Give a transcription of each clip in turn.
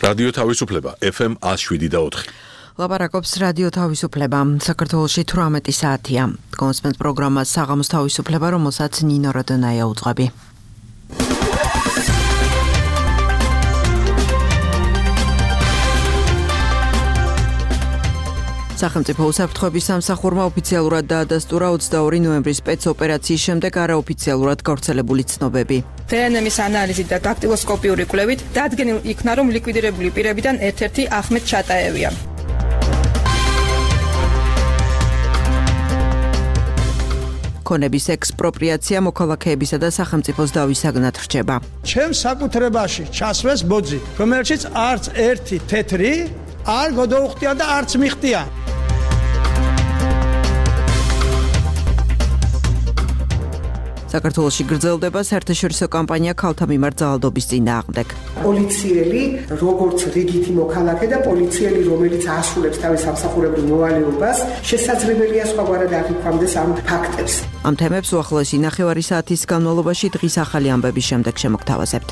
რადიო თავისუფლება FM 107.4. ლაპარაკობს რადიო თავისუფლება. საქართველოში 18 საათია. კონსპენთ პროგრამა საღამოს თავისუფლება, რომელსაც ნინო როდონაია უძღვები. სახელმწიფო უსაფრთხოების სამსახურმა ოფიციალურად დაადასტურა 22 ნოემბრის სპეცოპერაციის შემდეგ არაოფიციალურად გავრცელებული ცნობები. დნმ-ის ანალიზით და დაქტილოსკოპიური კვლევით დადგენილ იქნა, რომ ლიკვიდირებული პირებიდან ერთ-ერთი ახმედ ჩატაევია. ქონების ექსპროპრიაცია მოქალაქეებისა და სახელმწიფოს დავისაგნად რჩება. ჩემს საკუთრებაში ჩასვეს ბოძი, რომელშიც არც ერთი თეთრი არ გადაუხტია და არც მიხტია. საქართველოში გრძელდება საერთაშორისო კამპანია ქალთა მიმართ ძალადობის წინააღმდეგ. პოლიციელი, როგორც რიგითი მოქალაქე და პოლიციელი, რომელიც ასრულებს თავის სამსახურებრივ მოვალეობას, შესაძლებელია სხვაგვარად აღიქვამდეს ამ ფაქტებს. ამ თემებს უახლოესი ნახევარი საათის განმავლობაში დღის ახალი ამბების შემდეგ შემოგთავაზებთ.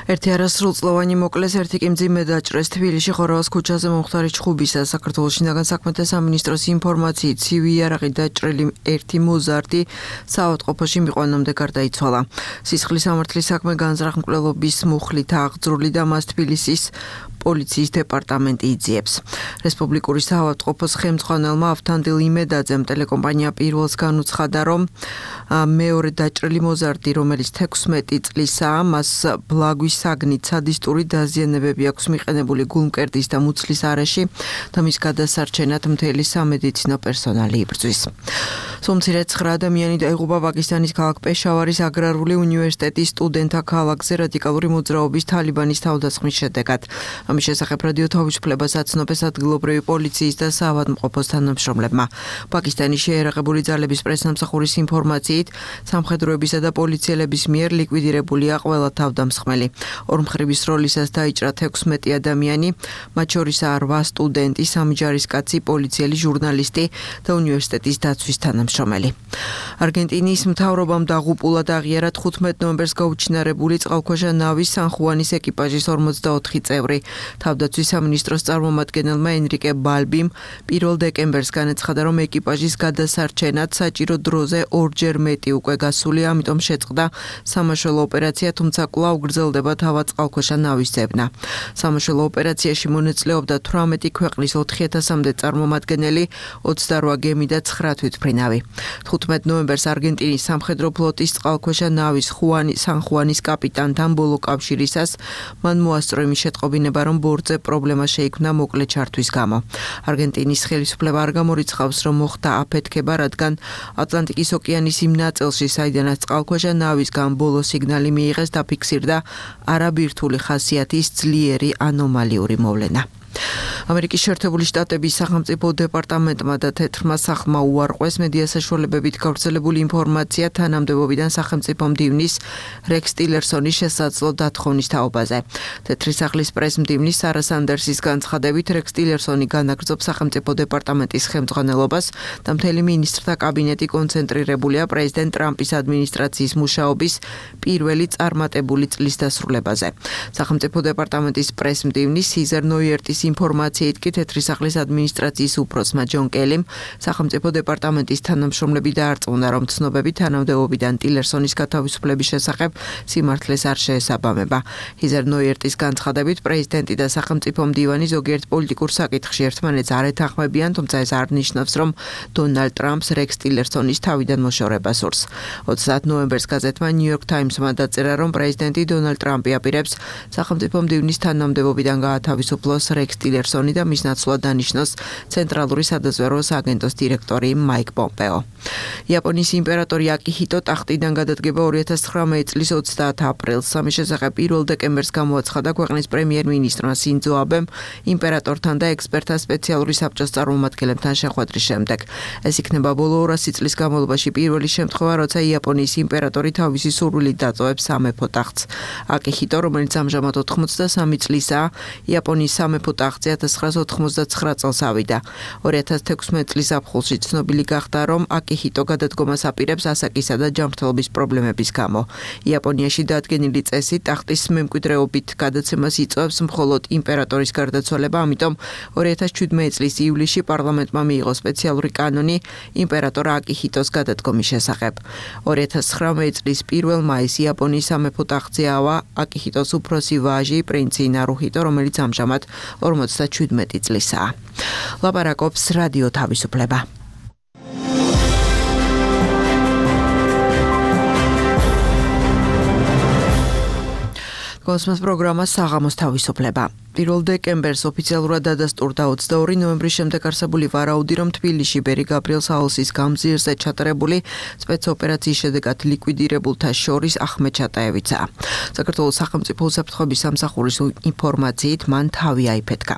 ერთი არასრულწლოვანი მოკლეს, ერთი კი მძიმე დაჭრეს თბილისში ხორავას ქუჩაზე მომხდარი ჩხუბისა. საქართველოს შინაგან საქმეთა სამინისტროს ინფორმაციით ცივი იარაღით დაჭრილი ერთი მოზარდი საავადმყოფოში მიყვანამდე გარდაიცვალა. სისხლის სამართლის საქმე განზრახ-მკვლელობის მუხლით აღძრული და მას თბილისის პოლიციის დეპარტამენტი იძიებს. რესპუბლიკური საავადმყოფოს ხელმძღვანელმა ავთანდილ იმედაძემ ტელეკომპანია პირველს განუცხადა, რომ მეორე დაჭრილი მოზარდი, რომელიც 16 წლისაა, მას ბლაგვის საგნით სადისტური დაზიანებები აქვს მიყენებული გულმკერდის და მუცლის არეში და მის გადასარჩენად მთელი სამედიცინო პერსონალი იბრძვის. სულ-მცირე 9 ადამიანი დაიღუპა პაკისტანის ქალაქ პეშავარის აგრარული უნივერსიტეტის სტუდენტთა ქალაქზე რადიკალური მოძრაობის თალიბანის თავდასხმის შედეგად. ამის შესახებ რადიო თავისუფლებას აცნობეს ადგილობრივი პოლიციის და საავადმყოფოს თანამშრომლებმა. პაკისტანის შეიარაღებული ძალების პრესამსახურის ინფორმაციით, სამხედროებისა და პოლიციელების მიერ ლიკვიდირებულია ყველა თავდამსხმელი. ორმხრივის როლისას დაიჭრა 16 ადამიანი, მათ შორისაა 8 სტუდენტი, 3 ჯარისკაცი, პოლიციელი, ჟურნალისტი და უნივერსიტეტის დაცვის თანამშრომელი. არგენტინის მთავრობამ დაღუპულად აღიარა 15 ნოემბერს გაუჩინარებული წყალქვეშა ნავის სან-ხუანის ეკიპაჟის 44 წევრი. თავდაცვის სამინისტროს წარმომადგენელმა ენრიკე ბალბიმ 1 დეკემბერს განაცხადა, რომ ეკიპაჟის გადასარჩენად საჭირო დროზე 2-ჯერ მეტი უკვე გასულია, ამიტომ შეწყდა სამაშველო ოპერაცია, თუმცა კვლავ გრძელდება თავად წყალქვეშა ნავის ძებნა. სამაშველო ოპერაციაში მონაწილეობდა 18 ქვეყნის 4000-მდე წარმომადგენელი, 28 გემი და 9 თვითმფრინავი. 15 ნოემბერს არგენტინის სამხედრო ფლოტის წყალქვეშა ნავის სან-ხუანის კაპიტანთან ბოლო კავშირისას მან მოასწრო იმის შეტყობინება, რომ ბორტზე პრობლემა შეიქმნა მოკლე ჩართვის გამო. არგენტინის ხელისუფლება არ გამორიცხავს, რომ მოხდა აფეთქება, რადგან ატლანტიკის ოკეანის იმ ნაწილში, საიდანაც წყალქვეშა ნავისგან ბოლო სიგნალი მიიღეს, დაფიქსირდა არაბირთული ხასიათის ძლიერი ანომალიური მოვლენა. ამერიკის შეერთებული შტატების სახელმწიფო დეპარტამენტმა და თეთრმა სახლმა უარყვეს მედია საშუალებებით გავრცელებული ინფორმაცია თანამდებობიდან სახელმწიფო მდივნის რექს ტილერსონის შესაძლო დათხოვნის თაობაზე. თეთრი სახლის პრეს-მდივნის სარა სანდერსის განცხადებით, რექს ტილერსონი განაგრძობს სახელმწიფო დეპარტამენტის ხელმძღვანელობას და მთელი მინისტრთა კაბინეტი კონცენტრირებულია პრეზიდენტ ტრამპის ადმინისტრაციის მუშაობის პირველი წარმატებული წლის დასრულებაზე. სახელმწიფო დეპარტამენტის პრეს-მდივნის სიზერ ნოიერტის ინფორმაციით კი თეთრი სახლის ადმინისტრაციის უფროსმა ჯონ კელიმ სახელმწიფო დეპარტამენტის თანამშრომლები დაარწმუნა, რომ ცნობები თანამდებობიდან ტილერსონის გათავისუფლების შესახებ სიმართლეს არ შეესაბამება. სიზერ ნოიერტის განცხადებით, პრეზიდენტი და სახელმწიფო მდივანი ზოგიერთ პოლიტიკურ საკითხში ერთმანეთს არ ეთანხმებიან, თუმცა ეს არ ნიშნავს, რომ დონალდ ტრამპს რექს ტილერსონის თავიდან მოშორება სურს. 30 ნოემბერს გაზეთმა New York Times-მა დაწერა, რომ პრეზიდენტი დონალდ ტრამპი აპირებს სახელმწიფო მდივნის თანამდებობიდან გაათავისუფლოს რექს ტილერსონი და მის ნაცვლად დანიშნოს ცენტრალური სადაზვერვო სააგენტოს დირექტორი მაიკ პომპეო. იაპონიის იმპერატორი აკიჰიტო ტახტიდან გადადგება 2019 წლის 30 აპრილს. ამის შესახებ 1 დეკემბერს გამოაცხადა ქვეყნის პრემიერ-მინისტრმა სინძო აბემ იმპერატორთან და ექსპერტთა სპეციალური საბჭოს წარმომადგენლებთან შეხვედრის შემდეგ. ეს იქნება ბოლო 200 წლის განმავლობაში პირველი შემთხვევა, როცა იაპონიის იმპერატორი თავისი სურვილით დატოვებს სამეფო ტახტს. აკიჰიტო, რომელიც ამჟამად 83 წლისაა, იაპონიის სამეფო akция 1999 წელს ავიდა. 2016 წლის ზაფხულში ცნობილი გახდა, რომ აკიჰიტო გადადგომას აპირებს ასაკისა და ჯანმრთელობის პრობლემების გამო. იაპონიაში დადგენილი წესით ტახტის მემკვიდრეობით გადაცემას იწვევს მხოლოდ იმპერატორის გარდაცვალება, ამიტომ 2017 წლის ივლისში პარლამენტმა მიიღო სპეციალური კანონი იმპერატორ აკიჰიტოს გადადგომის შესახებ. 2019 წლის 1 მაისს იაპონიის სამეფო ტახტზე ავა აკიჰიტოს უფროსი ვაჟი პრინცი ნარუჰიტო, რომელიც ამჟამად 57 წლისაა. ლაპარაკობს რადიო თავისუფლება. Kosmos პროგრამა საღამოს თავისუფლება. 1 დეკემბერს ოფიციალურად დადასტურდა 22 ნოემბრის შემდეგ არსებული ვარაუდი, რომ თბილისში ბერი გაბრიელ საოლსის გამზირზე ჩატარებული სპეცოპერაციის შედეგად ლიკვიდირებულთა შორის ახმედ ჩატაევიცაა. საქართველოს სახელმწიფო უსაფრთხოების სამსახურის ინფორმაციით მან თავი აიფეთქა.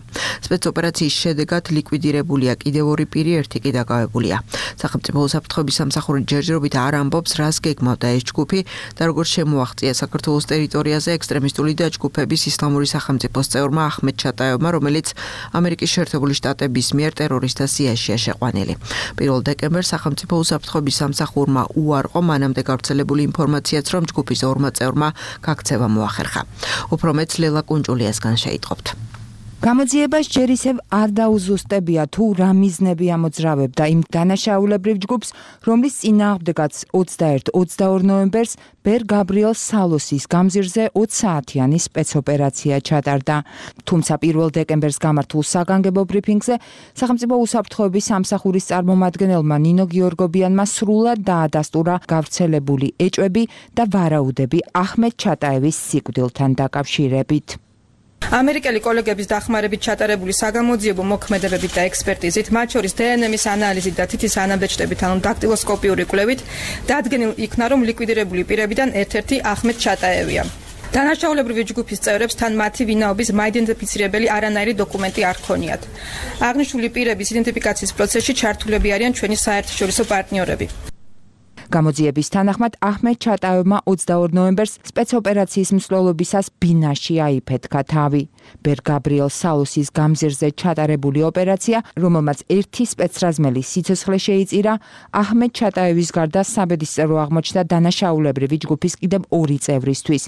სპეცოპერაციის შედეგად ლიკვიდირებულია კიდევ 2 პირი, ერთი კი დაკავებულია. სახელმწიფო უსაფრთხოების სამსახური ჯერჯერობით არ ამბობს, რას გეგმავდა ეს ჯგუფი და როგორ შემოაღწია საქართველოს ტერიტორიაზე ექსტრემისტული დაჯგუფების ისლამური სახელმწიფოს წევრმა ახმედ ჩატაევმა, რომელიც ამერიკის შეერთებული შტატების მიერ ტერორისტთა სიაშია შეყვანილი. 1 დეკემბერს სახელმწიფო უსაფრთხოების სამსახურმა უარყო მანამდე გავრცელებული ინფორმაციაც, რომ ჯგუფის 2 წევრმა გაქცევა მოახერხა. უფრო მეც ლელა კუნჭულიასგან შეიტყობთ. გამოძიებას ჯერ ისევ არ დაუზუსტებია თუ რა მიზნები ამოძრავებდა იმ დანაშაულებრივ ჯგუფს, რომლის წინააღმდეგაც 21-22 ნოემბერს ბერ გაბრიელ სალოსის გამზირზე 20 საათიანი სპეცოპერაცია ჩატარდა. თუმცა 1 დეკემბერს გამართულ საგანგებო ბრიფინგზე სახელმწიფო უსაფრთხოების სამსახურის წარმომადგენელმა ნინო გიორგობიანმა სრულად დაადასტურა გავრცელებული ეჭვები და ვარაუდები ახმედ ჩატაევის სიკვდილთან დაკავშირებით. ამერიკელი კოლეგების დახმარებით ჩატარებული საგამოძიებო მოქმედებებით და ექსპერტიზით, მათ შორის დნმ-ის ანალიზით და თითის ანაბეჭდებით, ანუ დაქტილოსკოპიური კვლევით, დადგენილ იქნა, რომ ლიკვიდირებული პირებიდან ერთ-ერთი ახმედ ჩატაევია. დანაშაულებრივი ჯგუფის წევრებს თან მათი ვინაობის მაიდენტიფიცირებელი არანაირი დოკუმენტი არ ჰქონიათ. აღნიშნული პირების იდენტიფიკაციის პროცესში ჩართულები არიან ჩვენი საერთაშორისო პარტნიორები. გამოძიების თანახმად ახმედ ჩატაევმა 22 ნოემბერს სპეცოპერაციის მსვლელობისას ბინაში აიფეთქა თავი. ბერ გაბრიელ სალოსის გამზირზე ჩატარებული ოპერაცია, რომელმაც ერთი სპეცრაზმელი სიცოცხლე შეიწირა, ახმედ ჩატაევის გარდა საბედისწერო აღმოჩნდა დანაშაულებრივი ჯგუფის კიდევ 2 წევრისთვის.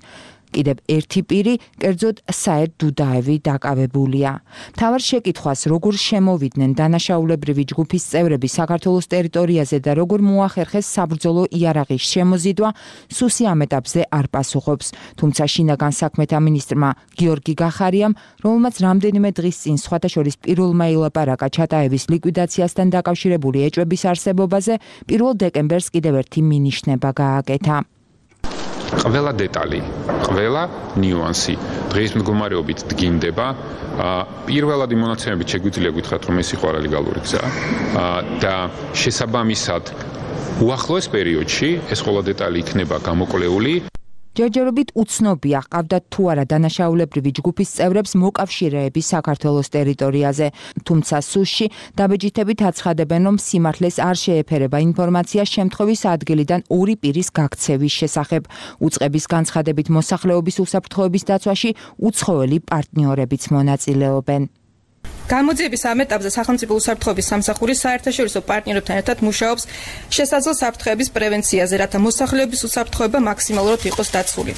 კიდევ ერთი პირი, კერძოდ საედ დუდაევი დაკავებულია. მთავარ შეკითხვას, როგორ შემოვიდნენ დანაშაულებრივი ჯგუფის წევრები საქართველოს ტერიტორიაზე და როგორ მოახერხეს საბრძოლო იარაღის შემოზიდვა, სუსი ამ ეტაპზე არ პასუხობს. თუმცა შინაგან საქმეთა მინისტრმა გიორგი გახარიამ, რომელმაც რამდენიმე დღის წინ სხვათა შორის პირველმა ილაპარაკა ჩატაევის ლიკვიდაციასთან დაკავშირებული ეჭვების არსებობაზე, 1 დეკემბერს კიდევ ერთი მინიშნება გააკეთა. ყველა დეტალი, ყველა ნიუანსი დღის მდგომარეობით დგინდება. პირველადი მონაცემებით შეგვიძლია გითხრათ, რომ ეს იყო არალეგალური გზა და შესაბამისად უახლოეს პერიოდში ეს ყველა დეტალი იქნება გამოკვლეული. ჯერჯერობით უცნობია, ყავდათ თუ არა დანაშაულებრივი ჯგუფის წევრებს მოკავშირეები საქართველოს ტერიტორიაზე. თუმცა სუსში დაბეჭდებით აცხადებენ, რომ სიმართლეს არ შეეფერება ინფორმაცია შემთხვევის ადგილიდან 2 პირის გაქცევის შესახებ. უწყების განცხადებით მოსახლეობის უსაფრთხოების დაცვაში უცხოელი პარტნიორებიც მონაწილეობენ. გამოძიების ამ ეტაპზე სახელმწიფო უსაფრთხოების სამსახური საერთაშორისო პარტნიორებთან ერთად მუშაობს შესაძლო საფრთხეების პრევენციაზე, რათა მოსახლეობის უსაფრთხოება მაქსიმალურად იყოს დაცული.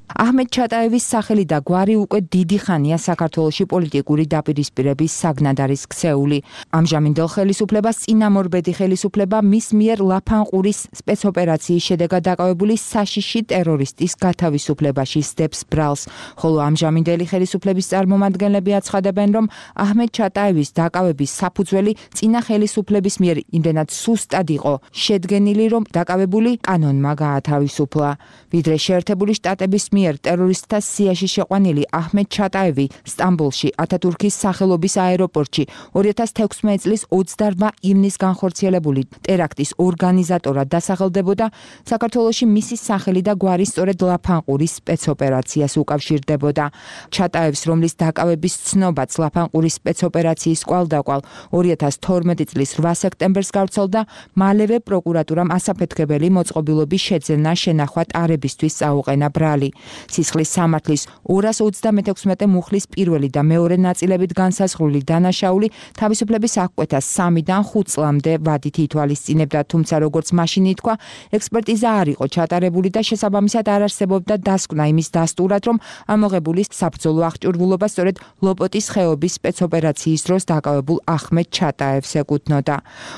ახმედ ჩატაევის სახელი და გვარი უკვე დიდი ხანია საქართველოში პოლიტიკური დაპირისპირების საგნად არის ქცეული. ამჟამინდელ ხელისუფლებას წინამორბედი ხელისუფლება მის მიერ ლაფანყურის სპეცოპერაციის შედეგად დაკავებული საშიში ტერორისტის გათავისუფლებაში სდებს ბრალს, ხოლო ამჟამინდელი ხელისუფლების წარმომადგენლები აცხადებენ, რომ ახმედ ჩატაევის დაკავების საფუძველი წინა ხელისუფლების მიერ იმდენად სუსტად იყო შედგენილი, რომ დაკავებული კანონმა გაათავისუფლა. ვიდრე შეერთებული შტატების მიერ ტერორისტთა სიაში შეყვანილი ახმედ ჩატაევი სტამბოლში ათათურქის სახელობის აეროპორტში 2016 წლის 28 ივნისს განხორციელებული ტერაქტის ორგანიზატორად დასახელდებოდა, საქართველოში მისი სახელი და გვარი სწორედ ლაფანყურის სპეცოპერაციას უკავშირდებოდა. ჩატაევს, რომლის დაკავების ცნობაც ლაფანყურის სპეცოპერაციის კვალდაკვალ 2012 წლის 8 სექტემბერს გავრცელდა, მალევე პროკურატურამ ასაფეთქებელი მოწყობილობის შეძენა შენახვა ტარებისთვის წაუყენა ბრალი. სისხლის სამართლის 236 მუხლის პირველი და მეორე ნაწილებით განსაზღვრული დანაშაული თავისუფლების აღკვეთას 3-დან 5 წლამდე ვადით ითვალისწინებდა, თუმცა როგორც მაშინ ითქვა, ექსპერტიზა არ იყო ჩატარებული და შესაბამისად არ არსებობდა დასკვნა იმის დასტურად, რომ ამოღებულის საბრძოლო აღჭურვილობა სწორედ ლოპოტის ხეობის სპეცოპერაციის დროს დაკავებულ ახმედ ჩატაევს ეკუთვნოდა.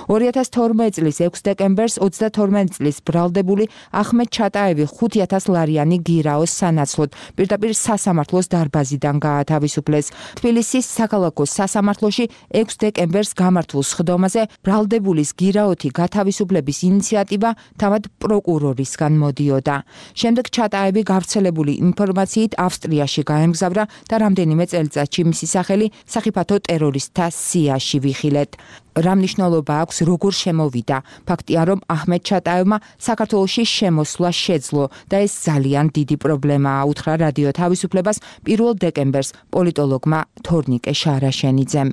2012 წლის 6 დეკემბერს 32 წლის ბრალდებული ახმედ ჩატაევი 5000 ლარიანი გირაოს სანაცვლოდ პირდაპირ სასამართლოს დარბაზიდან გაათავისუფლეს. თბილისის საქალაქო სასამართლოში 6 დეკემბერს გამართულ სხდომაზე ბრალდებულის გირაოთი გათავისუფლების ინიციატივა თავად პროკურორისგან მოდიოდა. შემდეგ ჩატაევი გავრცელებული ინფორმაციით ავსტრიაში გაემგზავრა და რამდენიმე წელიწადში მისი სახელი სახიფათო ტერორისტთა სიაში ვიხილეთ. რა მნიშვნელობა აქვს როგორ შემოვიდა? ფაქტია, რომ აჰმედ ჩატაევმა საქართველოში შემოსვლა შეძლო და ეს ძალიან დიდი პრობლემაა, უთხრა რადიო თავისუფლებას 1 დეკემბერს პოლიტოლოგმა თორნიკე შარაშენიძემ.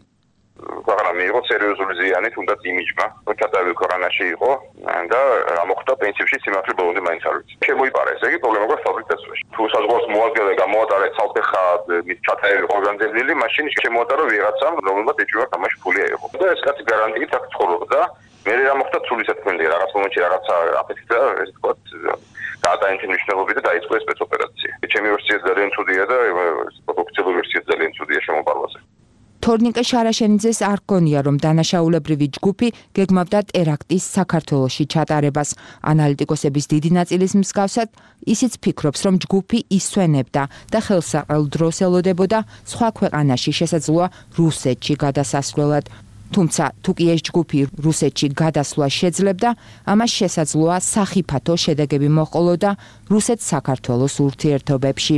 მიიღო სერიოზული ზიანი თუნდაც იმიჯმა, რომ ჩატაევი უკრაინაში იყო და ამოხდა პრინციპში სიმართლე ბოლომდე მაინც არ ვიცი. შემოიპარა ესე იგი პრობლემა გვაქვს ფაბრიკაციაში. თუ საზღვარგარეთ მოადგილე გამოატარეთ ცალფეხა მის ჩატაევი ორგანიზებული, მაშინ შემოატარა ვიღაცამ, რომელმაც ეჭვია თამაში ფული აიღო. და ეს კაცი გარანტიით აქ ცხოვრობდა. მე რა მოხდა ცულისაც თქვენდი რაღაც მომენტში რაღაცა აფეთქდა, ესე ვთქვათ, გადააინთი მნიშვნელობით და დაიწყო ეს სპეცოპერაცია. ჩემი ვერსია ძალიან ცუდია და ოფიციალური ვერსია ძალიან ცუდია შემოპარვაზე. თორნიკე შარაშენიძეს არ გონია, რომ დანაშაულებრივი ჯგუფი გეგმავდა ტერაქტის საქართველოში ჩატარებას. ანალიტიკოსების დიდი ნაწილის მსგავსად, ისიც ფიქრობს, რომ ჯგუფი ისვენებდა და ხელსაყრელ დროს ელოდებოდა სხვა ქვეყანაში, შესაძლოა რუსეთში გადასასვლელად. თუმცა, თუ კი ეს ჯგუფი რუსეთში გადასვლა შეძლებდა, ამას შესაძლოა სახიფათო შედეგები მოჰყოლოდა რუსეთ-საქართველოს ურთიერთობებში.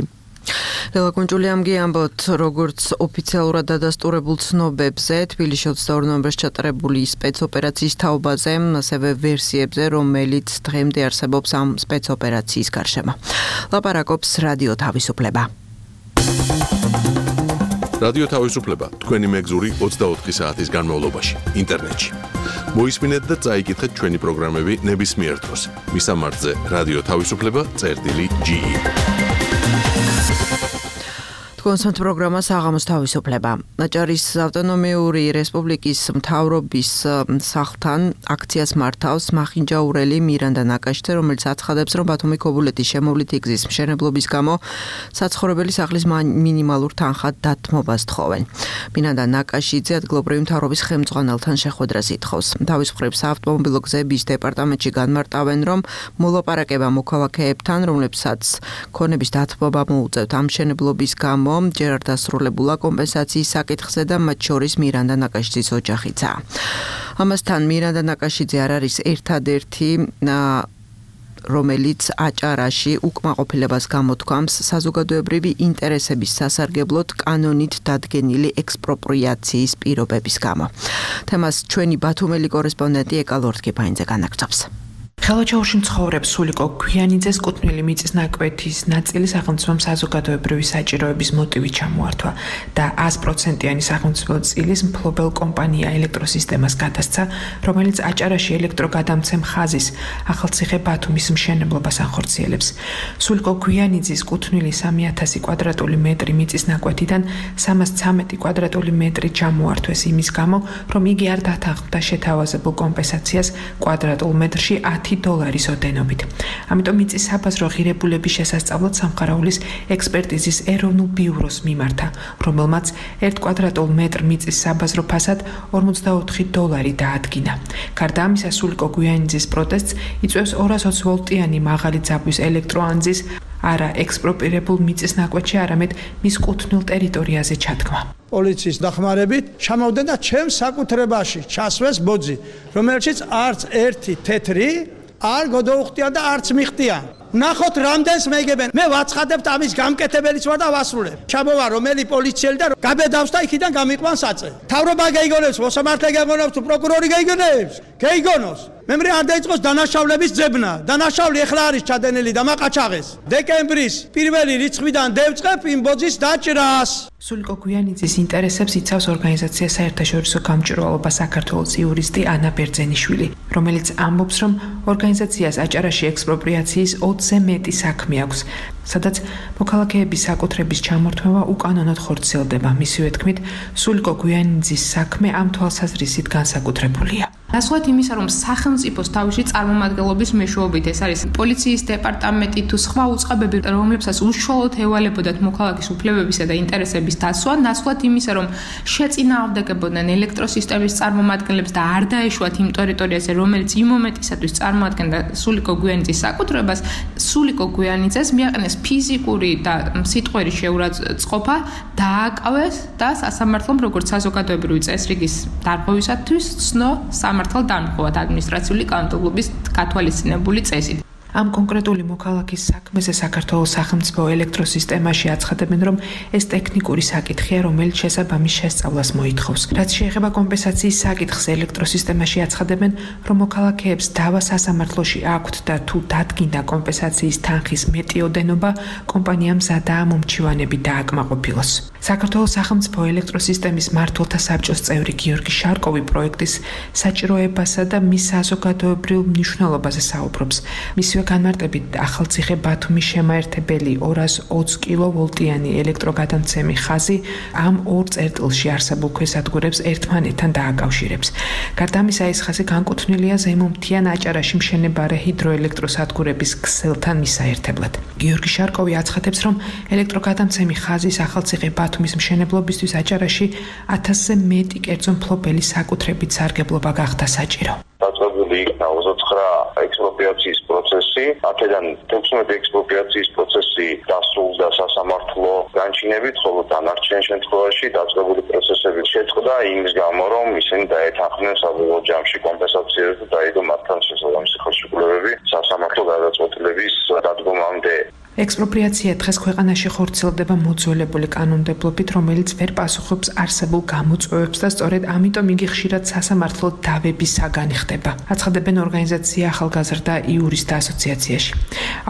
ლელა კუნჭულიამგი ამბობთ, როგორც ოფიციალურად დადასტურებულ ცნობებზე, თბილისში 22 ნოემბერს ჩატარებული სპეცოპერაციის თაობაზე, ასევე ვერსიებზე, რომელიც დღემდე არსებობს ამ სპეცოპერაციის გარშემო. ლაპარაკობს რადიო თავისუფლება. რადიო თავისუფლება თქვენი მეგზური 24 საათის განმავლობაში ინტერნეტში. მოისმინეთ და წაიკითხეთ ჩვენი პროგრამები ნებისმიერ დროს. მისამართზე რადიო თავისუფლება.ge. კონსერტ პროგრამა საღამოს თავისუფლება. აჭარის ავტონომიური რესპუბლიკის მთავრობის სახლთან აქციას მართავს მახინჯაურელი მირანდა ნაკაშიძე, რომელიც აცხადებს, რომ ბათუმი ქობულეთის შემოვლითი გზის მშენებლობის გამო საცხოვრებელი სახლის მინიმალურ თანხად დათმობას თხოვენ. მირანდა ნაკაშიძე ადგილობრივი მთავრობის ხელმძღვანელთან შეხვედრას ითხოვს. თავის მხრივ საავტომობილო გზების დეპარტამენტში განმარტავენ, რომ მოლაპარაკება მოქალაქეებთან, რომლებსაც ქონების დათმობა მოუწევთ ამ მშენებლობის გამო ჯერ არ დასრულებულა კომპენსაციის საკითხზე და მათ შორის მირანდა ნაკაშიძის ოჯახიცაა. ამასთან მირანდა ნაკაშიძე არ არის ერთადერთი, რომელიც აჭარაში უკმაყოფილებას გამოთქვამს საზოგადოებრივი ინტერესების სასარგებლოდ კანონით დადგენილი ექსპროპრიაციის პირობების გამო. თემას ჩვენი ბათუმელი კორესპონდენტი ეკა ლორთქიფაინძე განაგრძობს. ხელოჩაურში მცხოვრებს სულიკო გვიანიძეს კუთვნილი მიწის ნაკვეთის ნაწილი სახელმწიფომ საზოგადოებრივი საჭიროების მოტივით ჩამოართვა და 100%-იანი სახელმწიფო წილის მფლობელ კომპანია ელექტროსისტემას გადასცა, რომელიც აჭარაში ელექტროგადამცემ ხაზის ახალციხე ბათუმის მშენებლობას ახორციელებს. სულიკო გვიანიძის კუთვნილი 3000 კვადრატული მეტრი მიწის ნაკვეთიდან 313 კვადრატული მეტრი ჩამოართვეს იმის გამო, რომ იგი არ დათანხმდა შეთავაზებულ კომპენსაციას კვადრატულ მეტრში $10 ოდენობით. ამიტომ მიწის საბაზრო ღირებულების შესასწავლად სამხარაულის ექსპერტიზის ეროვნულ ბიუროს მიმართა, რომელმაც 1 კვადრატულ მეტრ მიწის საბაზრო ფასად $44 დაადგინა. გარდა ამისა, სულიკო გვიანიძის პროტესტს იწვევს 220 ვოლტიანი მაღალი ძაბვის ელექტროანძის არა ექსპროპირებულ მიწის ნაკვეთში, არამედ მის კუთვნილ ტერიტორიაზე ჩადგმა. პოლიციის დახმარებით ჩამოვდნენ და ჩემს საკუთრებაში ჩასვეს ბოძი, რომელშიც არც ერთი თეთრი არ გადაუხტიან და არც მიხტიან. ნახოთ რამდენს მეგებენ. მე ვაცხადებთ ამის გამკეთებელიც ვარ და ვასრულებ. ჩამოვა რომელი პოლიციელი და გაბედავს და იქიდან გამიყვან საწე. თავრობა გაიგონებს, მოსამართლე გაიგონებს, პროკურორი გაიგონებს. გაიგონოს. მემრე არ დაიწყოს დანაშაულების ძებნა. დანაშაული ეხლა არის ჩადენილი და მაყაჩაღეს. დეკემბრის პირველი რიცხვიდან დავწყებ იმ ბოძის დაჭრას. სულიკო გვიანიძის ინტერესებს იცავს ორგანიზაცია საერთაშორისო გამჭვირვალობა საქართველოს იურისტი ანა ბერძენიშვილი, რომელიც ამბობს, რომ ორგანიზაციას აჭარაში ექსპროპრიაციის 20-ზე მეტი საქმე აქვს. სადაც მოქალაქეების საკუთრების ჩამორთმევა უკანონოდ ხორციელდება. მისივე თქმით, სულიკო გვიანიძის საქმე ამ თვალსაზრისით განსაკუთრებულია. ნაცვლად იმისა, რომ სახელმწიფოს თავში წარმომადგენლობის მეშვეობით ეს არის პოლიციის დეპარტამენტი თუ სხვა უწყებები, რომლებსაც უშუალოდ ევალებოდათ მოქალაქის უფლებებისა და ინტერესების დაცვა, ნაცვლად იმისა, რომ შეწინააღმდეგებოდნენ ელექტროსისტემის წარმომადგენლებს და არ დაეშვათ იმ ტერიტორიაზე, რომელიც იმ მომენტისათვის წარმოადგენდა სულიკო გვიანიძის საკუთრებას, სულიკო გვიანიძეს მიაყენეს ფიზიკური და სიტყვერი შეურაცხყოფა, დააკავეს და სასამართლომ როგორც საზოგადოებრივი წესრიგის დარღვევისათვის ცნო სამართალ დამხობად ადმინისტრაციული კანონმდებლობის გათვალისწინებული წესით. ამ კონკრეტული მოქალაქის საქმეზე საქართველოს სახელმწიფო ელექტროსისტემაში აცხადებენ, რომ ეს ტექნიკური საკითხია, რომელიც შესაბამის შესწავლას მოითხოვს. რაც შეეხება კომპენსაციის საკითხს, ელექტროსისტემაში აცხადებენ, რომ მოქალაქეებს დავა სასამართლოში აქვთ და თუ დადგინდა კომპენსაციის თანხის მეტიოდენობა, კომპანიამ მზადაა მომჩივანები დააკმაყოფილოს. საქართველოს სახელმწიფო ელექტროსისტემის მმართველთა საბჭოს წევრი გიორგი შარკოვი პროექტის საჭიროებასა და მის საზოგადოებრივ მნიშვნელობაზე საუბრობს. განმარტებით ახალციხე ბათუმის შემაერთებელი 220 კილოვოლტიანი ელექტროგადამცემი ხაზი ამ ორ წერტილში არსებულ ქვესადგურებს ერთმანეთთან დააკავშირებს. გარდა ამისა, ეს ხაზი განკუთვნილია ზემომთიან აჭარაში მშენებარე ჰიდროელექტროსადგურების ქსელთან მისაერთებლად. გიორგი შარკოვი აცხადებს, რომ ელექტროგადამცემი ხაზის ახალციხე ბათუმის მშენებლობისთვის აჭარაში 1000-ზე მეტი კერძო მფლობელი საკუთრებით სარგებლობა გახდა საჭირო. დაწყებული იქნა 29 ექსპროპრიაციის პროცესი, აქედან 16 ექსპროპრიაციის პროცესი დასრულდა სასამართლო განჩინებით, ხოლო დანარჩენ შემთხვევაში დაწყებული პროცესები შეწყდა იმის გამო, რომ ისინი დაეთანხმნენ საბოლოო ჯამში კომპენსაციას და დაიდო მათთან შესაბამისი ხელშეკრულებები სასამართლო გადაწყვეტილების დადგომამდე. ექსპროპრიაცია დღეს ქვეყანაში ხორციელდება მოძველებული კანონმდებლობით, რომელიც ვერ პასუხობს არსებულ გამოწვევებს და სწორედ ამიტომ იგი ხშირად სასამართლო დავების საგანი ხდება. აცხადებენ ორგანიზაცია ახალგაზრდა იურისტთა ასოციაციაში.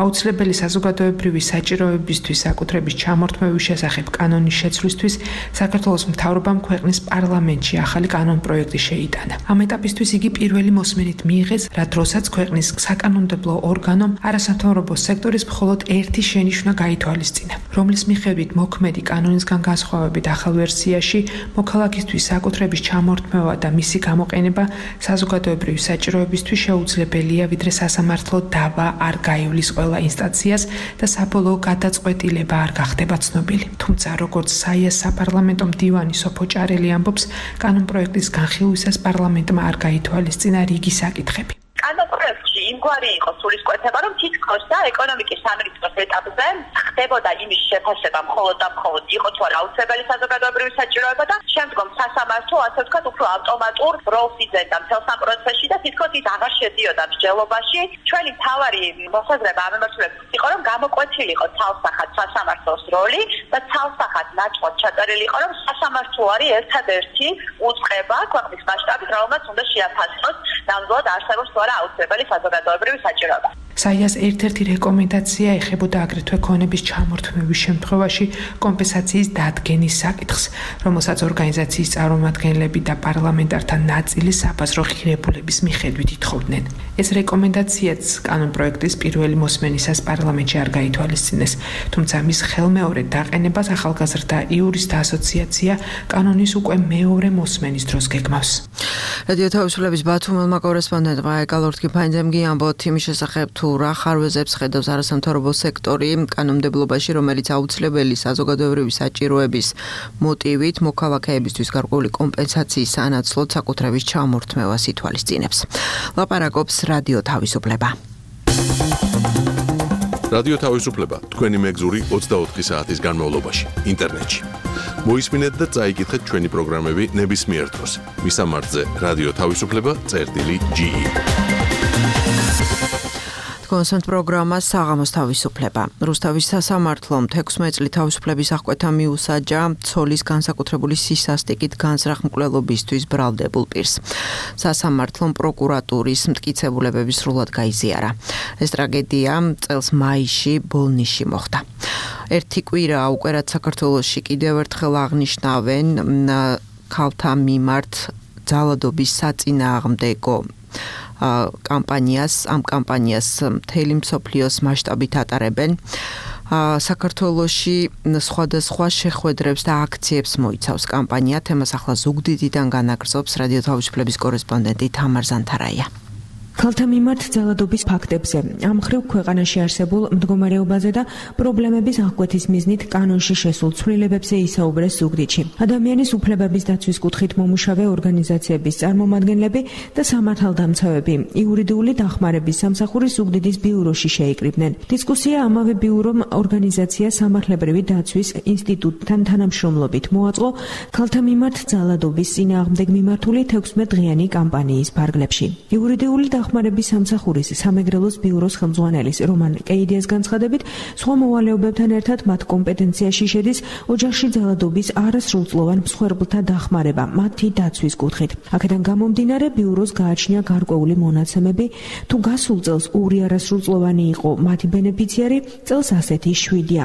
აუცილებელი საზოგადოებრივი საჭიროებისთვის საკუთრების ჩამორთმევის შესახებ კანონის შეცვლისთვის საქართველოს მთავრობამ ქვეყნის პარლამენტში ახალი კანონპროექტი შეიტანა. ამ ეტაპისთვის იგი პირველი მოსმენით მიიღეს, რა დროსაც ქვეყნის საკანონმდებლო ორგანომ არასამთავრობო სექტორის მხოლოდ ერთი შენიშვნა გაითვალისწინა, რომლის მიხედვით მოქმედი კანონისგან განსხვავებით ახალ ვერსიაში მოქალაქისთვის საკუთრების ჩამორთმევა და მისი გამოყენება საზოგადოებრივი საჭიროებისთვის შეუძლებელია, ვიდრე სასამართლო დავა არ გაივლის ყველა ინსტანციას და საბოლოო გადაწყვეტილება არ გახდება ცნობილი. თუმცა, როგორც საიას საპარლამენტო მდივანი სოფო ჭარელი ამბობს, კანონპროექტის განხილვისას პარლამენტმა არ გაითვალისწინა რიგი საკითხები. კანონპროექტში იმგვარი იყო სულისკვეთება, რომ თითქოს და ეკონომიკის სამინისტროს ეტაპზე ხდებოდა იმის შეფასება მხოლოდ და მხოლოდ იყო თუ არა აუცილებელი საზოგადოებრივი საჭიროება და შემდგომ სასამართლო ასე ვთქვათ უფრო ავტომატურ როლს იძენდა მთელ სამ პროცესში და თითქოს ის აღარ შედიოდა მსჯელობაში. ჩვენი მთავარი მოსაზრება ამ მიმართულებით იყო, რომ გამოკვეთილი იყო ცალსახად სასამართლოს როლი და ცალსახად ნაჭყოდ ჩაწერილი იყო, რომ სასამართლო არის ერთადერთი უწყება ქვეყნის მასშტაბით, რომელმაც უნდა შეაფასოს ნამდვილად არსებობს თუ არა აუცილებელი საზოგადოებრივი საჭიროება. საიას ერთ-ერთი რეკომენდაცია ეხებოდა აგრეთვე ქონების ჩამორთმევის შემთხვევაში კომპენსაციის დადგენის საკითხს, რომელსაც ორგანიზაციის წარმომადგენლები და პარლამენტართა ნაწილი საბაზრო ღირებულების მიხედვით ითხოვდნენ. ეს რეკომენდაციაც კანონპროექტის პირველი მოსმენისას პარლამენტში არ გაითვალისწინეს, თუმცა მის ხელმეორედ დაყენებას ახალგაზრდა იურისტთა ასოციაცია კანონის უკვე მეორე მოსმენის დროს გეგმავს. რადიო თავისუფლების ბათუმელმა კორესპონდენტმა ეკალორთკიფანიძემ გიამბოთ იმის შესახებ თუ რა ხარვეზებს ხედავს არასამთავრობო სექტორი კანონმდებლობაში, რომელიც აუცილებელი საზოგადოებრივი საჭიროების მოტივით მოქალაქეებისთვის გარკვეული კომპენსაციის სანაცვლოდ საკუთრების ჩამორთმევას ითვალისწინებს. ლაპარაკობს რადიო თავისუფლება. რადიო თავისუფლება თქვენი მეგზური 24 საათის განმავლობაში ინტერნეტში. მოისმინეთ და წაიკითხეთ ჩვენი პროგრამები ნებისმიერ დროს. მისამართზე რადიო თავისუფლება.ge. კონსერტ პროგრამა საღამოს თავისუფლება. რუსთავის სასამართლომ 16 წლის თავისუფლების აღკვეთა მიუსაჯა ცოლის განსაკუთრებული სისასტიკით განზრახ მკვლელობისთვის ბრალდებულ პირს. სასამართლომ პროკურატურის მტკიცებულებები სრულად გაიზიარა. ეს ტრაგედია წელს მაისში ბოლნისში მოხდა. ერთი კვირაა უკვე რაც საქართველოში კიდევ ერთხელ აღნიშნავენ ქალთა მიმართ ძალადობის საწინააღმდეგო ამ კამპანიას მთელი მსოფლიოს მასშტაბით ატარებენ. საქართველოში სხვადასხვა შეხვედრებს და აქციებს მოიცავს კამპანია. თემას ახლა ზუგდიდიდან განაგრძობს რადიო თავისუფლების კორესპონდენტი თამარ ზანთარაია. ქალთა მიმართ ძალადობის ფაქტებზე, ამ მხრივ ქვეყანაში არსებულ მდგომარეობაზე და პრობლემების აღკვეთის მიზნით კანონში შესულ ცვლილებებზე ისაუბრეს ზუგდიდში. ადამიანის უფლებების დაცვის კუთხით მომუშავე ორგანიზაციების წარმომადგენლები და სამართალდამცავები იურიდიული დახმარების სამსახურის ზუგდიდის ბიუროში შეიკრიბნენ. დისკუსია ამავე ბიურომ ორგანიზაცია სამართლებრივი დაცვის ინსტიტუტთან თანამშრომლობით მოაწყო ქალთა მიმართ ძალადობის წინააღმდეგ მიმართული 16 დღიანი კამპანიის ფარგლებში. იურიდიული დახმარების სამსახურის სამეგრელოს ბიუროს ხელმძღვანელის რომან კეიდიას განცხადებით, სხვა მოვალეობებთან ერთად მათ კომპეტენციაში შედის ოჯახში ძალადობის არასრულწლოვან მსხვერპლთა დახმარება მათი დაცვის კუთხით. აქედან გამომდინარე, ბიუროს გააჩნია გარკვეული მონაცემები, თუ გასულ წელს 2 არასრულწლოვანი იყო მათი ბენეფიციარი, წელს ასეთი 7-ია.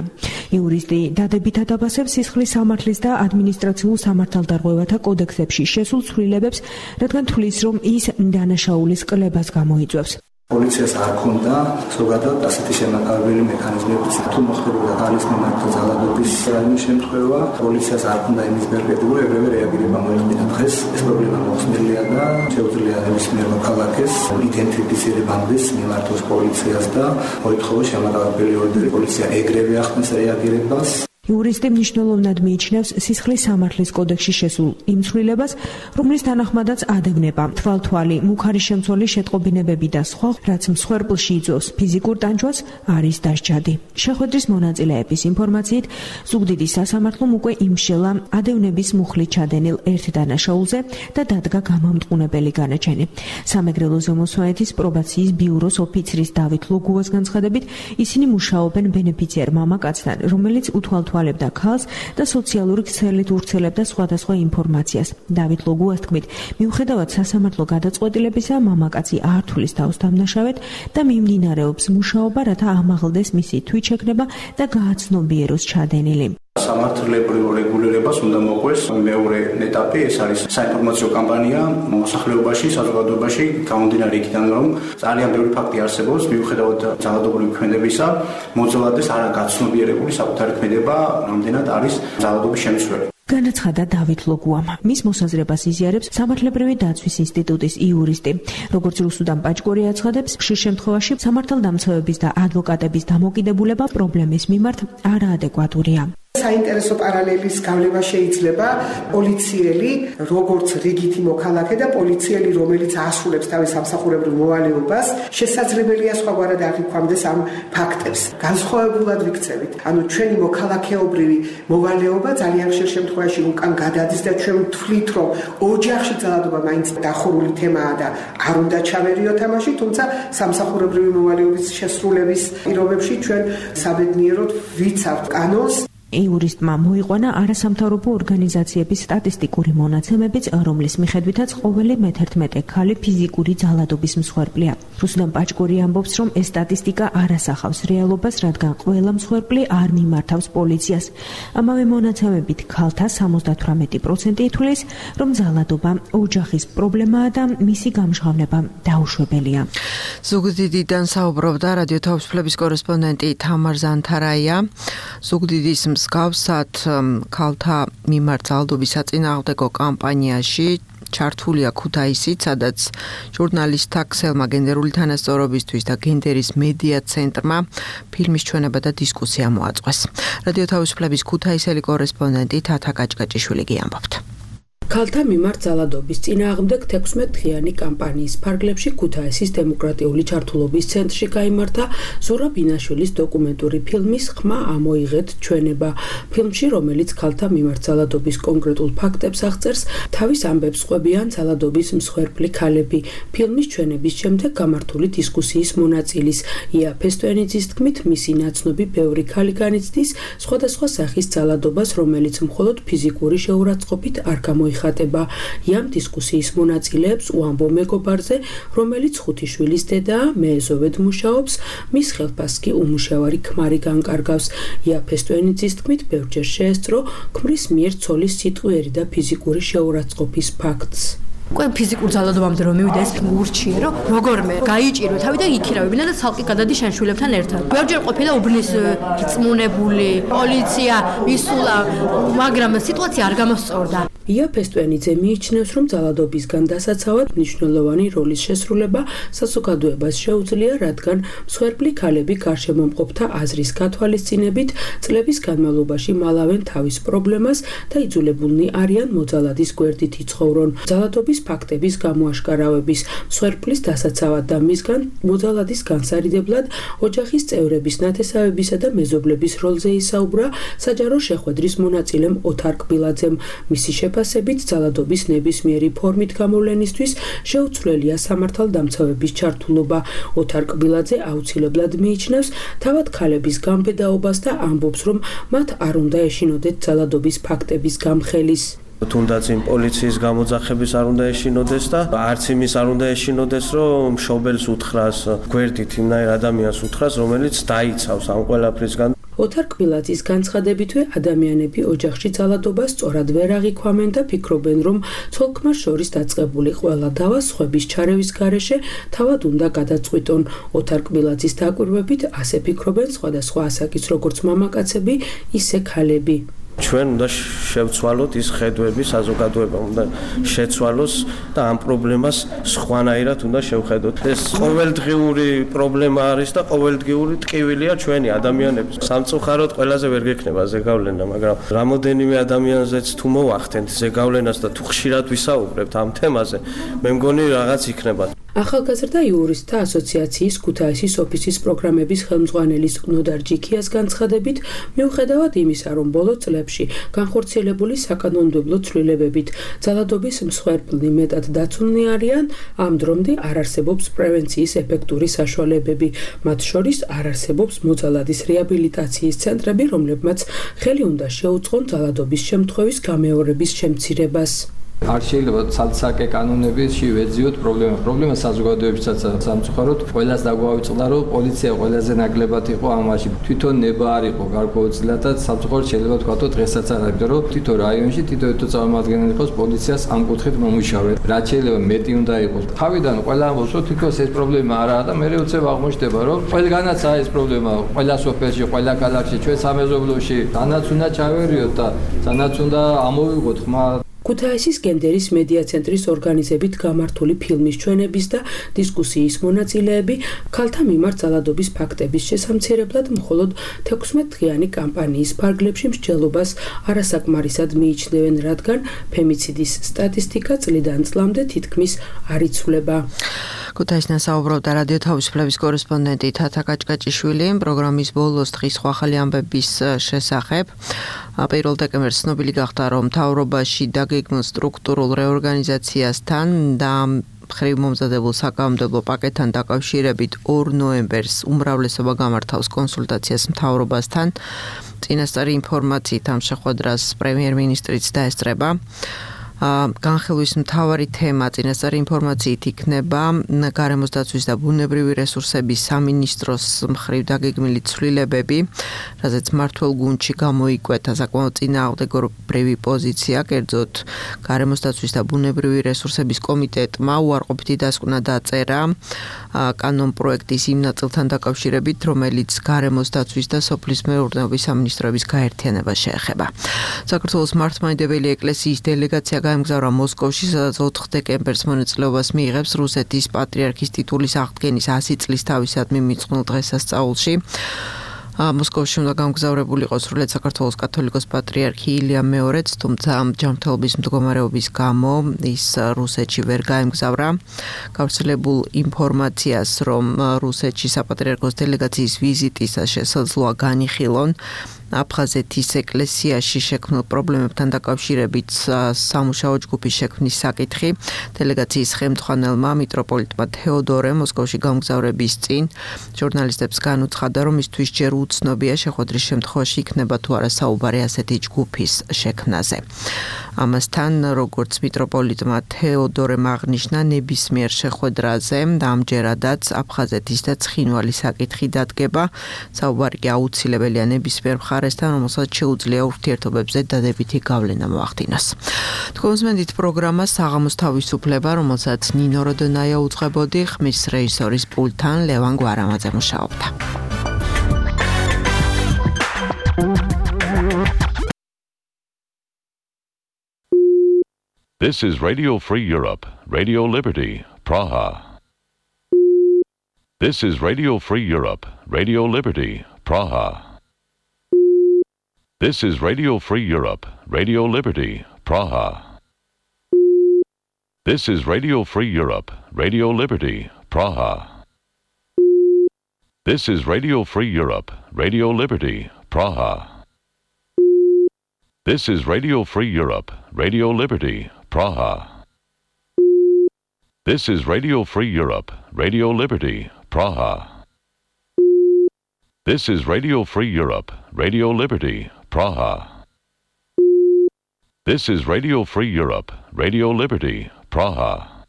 იურისტი დადებითად აფასებს სისხლის სამართლის და ადმინისტრაციულ სამართალდარღვევათა კოდექსებში შესულ ცვლილებებს, რადგან თვლის, რომ ის დანაშაულის კლებას გამოიწვევს. პოლიციას არ ქონდა ზოგადად ასეთი შემაკავებელი მექანიზმები, თუ მოხდებოდა ქალის მიმართ ძალადობის რაიმე შემთხვევა, პოლიციას არ ქონდა იმის პერსპექტივა, ეგრევე რეაგირება მოეხდინა დღეს. ეს პრობლემა მოხსნილია და შეუძლია ნებისმიერ მოქალაქეს იდენტიფიცირებამდეს მიმართოს პოლიციას და მოითხოვა შემაკავებელი ორდერი. პოლიცია ეგრევე ახდენს რეაგირებას. იურისტი მნიშვნელოვნად მიიჩნევს სისხლის სამართლის კოდექსში შესულ იმ ცვლილებას, რომლის თანახმადაც ადევნება, თვალთვალი, მუქარი შემცველი შეტყობინებები და სხვა, რაც მსხვერპლში იწვევს ფიზიკურ ტანჯვას, არის დასჯადი. შეხვედრის მონაწილეების ინფორმაციით, ზუგდიდის სასამართლომ უკვე იმშელა ადევნების მუხლით ჩადენილ ერთ დანაშაულზე და დადგა გამამტყუნებელი განაჩენი. სამეგრელო ზემოსვანეთის პრობაციის ბიუროს ოფიცრის დავით ლოგუას განცხადებით, ისინი მუშაობენ ბენეფიციარ მამაკაცთან, რომელიც უთვალთვალებდა ქალს და სოციალური ქსელით ურცელებდა სხვადასხვა ინფორმაციას. დავით ლოგუას თქმით, მიუხედავად სასამართლო გადაწყვეტილებისა, მამაკაცი არ თვლის თავს დამნაშავედ და მიმდინარეობს მუშაობა, რათა ამაღლდეს მისი თვითშექმნება და გააცნობიეროს ჩადენილი. სამართლებრივ რეგულირებას უნდა მოყვეს მეორე ეტაპი, ეს არის საინფორმაციო კამპანია მოსახლეობაში, საზოგადოებაში, გამომდინარე იქიდან, რომ ძალიან ბევრი ფაქტი არსებობს, მიუხედავად ძალადობრივი ქმედებისა, მოძალადეს არა გაცნობიერებული საკუთარი ქმედება, რამდენად არის ძალადობის შემცველი. განაცხადა დავით ლოგუამ. მის მოსაზრებას იზიარებს სამართლებრივი დაცვის ინსტიტუტის იურისტი. როგორც რუსუდან პაჭკორი აცხადებს, ხშირ შემთხვევაში სამართალდამცავების და ადვოკატების დამოკიდებულება პრობლემის მიმართ არაადეკვატურია. საინტერესო პარალელის გავლება შეიძლება პოლიციელი, როგორც რიგითი მოქალაქე და პოლიციელი, რომელიც ასრულებს თავის სამსახურებრივ მოვალეობას, შესაძლებელია სხვაგვარად აღიქვამდეს ამ ფაქტებს. განსხვავებულად ვიქცევით. ანუ ჩვენი მოქალაქეობრივი მოვალეობა ძალიან ხშირ შემთხვევაში უკან გადადის და ჩვენ ვთვლით, რომ ოჯახში ძალადობა მაინც დახურული თემაა და არ უნდა ჩავერიოთ ამაში, თუმცა სამსახურებრივი მოვალეობის შესრულების პირობებში ჩვენ საბედნიეროდ ვიცავთ კანონს. იურისტმა მოიყვანა არასამთავრობო ორგანიზაციების სტატისტიკური მონაცემებიც, რომლის მიხედვითაც ყოველი მე-11 ქალი ფიზიკური ძალადობის მსხვერპლია. რუსუდან პაჭკორი ამბობს, რომ ეს სტატისტიკა არ ასახავს რეალობას, რადგან ყველა მსხვერპლი არ მიმართავს პოლიციას. ამავე მონაცემებით ქალთა 78% ითვლის, რომ ძალადობა ოჯახის პრობლემაა და მისი გამჟღავნება დაუშვებელია. ზუგდიდიდან საუბრობდა რადიო თავისუფლების კორესპონდენტი თამარ ზანთარაია. ზუგდიდის მსგავსად ქალთა მიმართ ძალადობის საწინააღმდეგო კამპანიაში ჩართულია ქუთაისიც, სადაც ჟურნალისტთა ქსელმა გენდერული თანასწორობისთვის და გენდერის მედია ცენტრმა ფილმის ჩვენება და დისკუსია მოაწყვეს. რადიო თავისუფლების ქუთაისელი კორესპონდენტი თათა კაჭკაჭიშვილი ამბობდა. ქალთა მიმართ ძალადობის წინააღმდეგ 16 დღიანი კამპანიის ფარგლებში ქუთაისის დემოკრატიული ჩართულობის ცენტრში გაიმართა ზურაბ ინაშვილის დოკუმენტური ფილმის ხმა ამოიღეთ ჩვენება. ფილმში, რომელიც ქალთა მიმართ ძალადობის კონკრეტულ ფაქტებს აღწერს, თავის ამბებს ყვებიან ძალადობის მსხვერპლი ქალები. ფილმის ჩვენების შემდეგ გამართული დისკუსიის მონაწილის ია ფესტოენიძის თქმით, მისი ნაცნობი ბევრი ქალი განიცდის სხვადასხვა სახის ძალადობას, რომელიც მხოლოდ ფიზიკური შეურაცხყოფით არ გამოიხატება. იამ დისკუსიის მონაწილეებს უამბო მეგობარზე, რომელიც 5 შვილის დედაა, მეეზოვედ მუშაობს, მის ხელფას კი უმუშევარი ქმარი განკარგავს. ია ფესტოენიძის თქმით, ბევრჯერ შეესწრო ქმრის მიერ ცოლის სიტყვიერი და ფიზიკური შეურაცხყოფის ფაქტს. უკვე ფიზიკურ ძალადობამდე რომ მივიდა ეს ურჩიე, რომ როგორმე გაიჭირო თავიდან იქირავებინა და ცალკე გადადი შენშვილებთან ერთად. ბევრჯერ ყოფილა უბნის რწმუნებული, პოლიცია ისულა, მაგრამ სიტუაცია არ გამოსწორდა. ია ფესტვენიძე მიიჩნევს, რომ ძალადობისგან დასაცავად მნიშვნელოვანი როლის შესრულება საზოგადოებას შეუძლია, რადგან მსხვერპლი ქალები გარშემომყოფთა აზრის გათვალისწინებით წლების განმავლობაში მალავენ თავის პრობლემას და იძულებულნი არიან მოძალადის გვერდით იცხოვრონ. ძალადობის ფაქტების გამოაშკარავების, მსხვერპლის დასაცავად და მისგან მოძალადის განსარიდებლად ოჯახის წევრების ნათესავებისა და მეზობლების როლზე ისაუბრა საჯარო შეხვედრის მონაწილემ ოთარ კბილაძემ. მისი შეფასებით ძალადობის ნებისმიერი ფორმით გამოვლენისთვის შეუცვლელია სამართალდამცავების ჩართულობა. ოთარ კბილაძე აუცილებლად მიიჩნევს თავად ქალების გამბედაობას და ამბობს, რომ მათ არ უნდა ეშინოდეთ ძალადობის ფაქტების გამხელის. თუნდაც იმ პოლიციის გამოძახების არ უნდა ეშინოდეს და არც იმის არ უნდა ეშინოდეს, რომ მშობელს უთხრას გვერდით იმნაირ ადამიანს უთხრას, რომელიც დაიცავს ამ ყველაფრისგან. ოთარ კბილაძის განცხადებითვე ადამიანები ოჯახში ძალადობას სწორად ვერ აღიქვამენ და ფიქრობენ, რომ ცოლ-ქმარს შორის დაწყებული ყველა დავა სხვების ჩარევის გარეშე თავად უნდა გადაწყვიტონ. ოთარ კბილაძის დაკვირვებით ასე ფიქრობენ სხვადასხვა ასაკის როგორც მამაკაცები, ისე ქალები. ჩვენ უნდა შევცვალოთ ის ხედვები, საზოგადოება უნდა შეცვალოს და ამ პრობლემას სხვანაირად უნდა შევხედოთ. ეს ყოველდღიური პრობლემა არის და ყოველდღიური ტკივილია ჩვენი ადამიანების. სამწუხაროდ ყველაზე ვერ გექნება ზეგავლენა, მაგრამ რამოდენიმე ადამიანზეც თუ მოვახდენთ ზეგავლენას და თუ ხშირად ვისაუბრებთ ამ თემაზე, მე მგონი რაღაც იქნება. ახალგაზრდა იურისტთა ასოციაციის ქუთაისის ოფისის პროგრამების ხელმძღვანელის ნოდარ ჯიქიას განცხადებით, მიუხედავად იმისა, რომ ბოლო წლებში განხორციელებული საკანონმდებლო ცვლილებებით ძალადობის მსხვერპლნი მეტად დაცულნი არიან, ამ დრომდე არ არსებობს პრევენციის ეფექტური საშუალებები. მათ შორის არ არსებობს მოძალადის რეაბილიტაციის ცენტრები, რომლებმაც ხელი უნდა შეუწყონ ძალადობის შემთხვევის გამეორების შემცირებას. არ შეიძლება ცალ-ცალკე კანონებში ვეძიოთ პრობლემა საზოგადოებისაც სამწუხაროდ ყველას დაგვავიწყდა, რომ პოლიცია ყველაზე ნაკლებად იყო ამაში. თვითონ ნება არ იყო გარკვეულწილად და სამწუხაროდ შეიძლება თქვა, რომ დღესაც არ არის, იმიტომ რომ თვითონ რაიონში თითო წარმომადგენელი იყოს პოლიციას ამ კუთხით მომუშავე. რაც შეიძლება მეტი უნდა იყოს. თავიდან ყველა ამბობს, რომ თვითონ ეს პრობლემა არაა და მე უცებ აღმოჩნდება, რომ ყველგანაც არის ეს პრობლემა, ყველა სოფელში, ყველა ქალაქში, ჩვენ სამეზობლოში, თანაც უნდა ჩავერიოთ და თანაც უნდა ამოვიღოთ ხმა. ქუთაისის გენდერის მედია ცენტრის ორგანიზებით გამართული ფილმის ჩვენების და დისკუსიის მონაწილეები ქალთა მიმართ ძალადობის ფაქტების შესამცირებლად მხოლოდ 16-დღიანი კამპანიის ფარგლებში მსჯელობას არასაკმარისად მიიჩნევენ, რადგან ფემიციდის სტატისტიკა წლიდან წლამდე თითქმის არ იცვლება. ქუთაისიდან საუბრობდა რადიო თავისუფლების კორესპონდენტი თათა კაჭკაჭიშვილი პროგრამის ბოლოს დღის ახალი ამბების შესახებ. 1 დეკემბერს ცნობილი გახდა, რომ მთავრობაში დაგეგმილ სტრუქტურულ რეორგანიზაციასთან და მხრივ მომზადებულ საკანონმდებლო პაკეტთან დაკავშირებით 2 ნოემბერს უმრავლესობა გამართავს კონსულტაციას მთავრობასთან. წინასწარი ინფორმაციით ამ შეხვედრას პრემიერ-მინისტრიც დაესწრება. განხილვის მთავარი თემა წინასწარი ინფორმაციით იქნება გარემოს დაცვის და ბუნებრივი რესურსების სამინისტროს მხრივ დაგეგმილი ცვლილებები, რაზეც მმართველ გუნდში გამოიკვეთა საკმაოდ წინააღმდეგობრივი პოზიცია, კერძოდ გარემოს დაცვის და ბუნებრივი რესურსების კომიტეტმა უარყოფითი დასკვნა დაწერა კანონპროექტის იმ ნაწილთან დაკავშირებით, რომელიც გარემოს დაცვის და სოფლის მეურნეობის სამინისტროების გაერთიანებას შეეხება. საქართველოს მართლმადიდებელი ეკლესიის დელეგაცია გაემგზავრა მოსკოვში, სადაც 4 დეკემბერს მონაწილეობას მიიღებს რუსეთის პატრიარქის ტიტულის აღდგენის 100 წლის თავისადმი მიძღვნილ დღესასწაულში. მოსკოვში უნდა გამგზავრებული იყოს სრულიად საქართველოს კათოლიკოს პატრიარქი ილია მეორეც, თუმცა ჯანმრთელობის მდგომარეობის გამო ის რუსეთში ვერ გაემგზავრა. გავრცელებულ ინფორმაციას, რომ რუსეთში საპატრიარქოს დელეგაციის ვიზიტის შესაძლოა განიხილონ აფხაზეთის ეკლესიაში შექმნილ პრობლემებთან დაკავშირებით სამუშაო ჯგუფის შექმნის საკითხი დელეგაციის ხელმძღვანელმა მიტროპოლიტმა თეოდორე მოსკოვში გამგზავრების წინ ჟურნალისტებს განუცხადა, რომ მისთვის ჯერ უცნობია შეხვედრის შემთხვევაში იქნება თუ არა საუბარი ასეთი ჯგუფის შექმნაზე. ამასთან, როგორც მიტროპოლიტმა თეოდორემ აღნიშნა, ნებისმიერ შეხვედრაზე და ამჯერადაც აფხაზეთის და ცხინვალის საკითხი დადგება. საუბარი კი აუცილებელია ნებისმიერ მხარეს მხარესთან, რომელსაც შეუძლია ურთიერთობებზე დადებითი გავლენა მოახდინოს. თქვენს მენდით პროგრამა საღამოს თავისუფლება, რომელსაც ნინო როდონაია უძღვებოდი, ხმის რეჟისორის პულტთან ლევან გვარამაძე მუშაობდა. This is Radio Free Europe, Radio Liberty, Praha. This is Radio Free Europe, Radio Liberty, Praha. This is Radio Free Europe, Radio Liberty, Praha. This is Radio Free Europe, Radio Liberty, Praha. This is Radio Free Europe, Radio Liberty, Praha. This is Radio Free Europe, Radio Liberty, Praha. This is Radio Free Europe, Radio Liberty, Praha. This is Radio Free Europe, Radio Liberty, Praha. This is Radio Free Europe, Radio Liberty, Praha.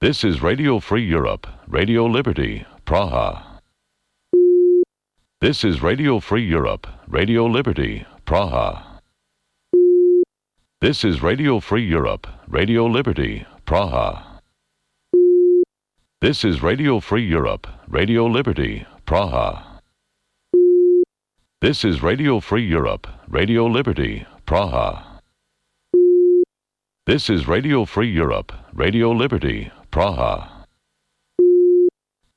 This is Radio Free Europe, Radio Liberty, Praha. This is Radio Free Europe, Radio Liberty, Praha. This is Radio Free Europe, Radio Liberty, Praha. This is Radio Free Europe, Radio Liberty, Praha. This is Radio Free Europe, Radio Liberty, Praha.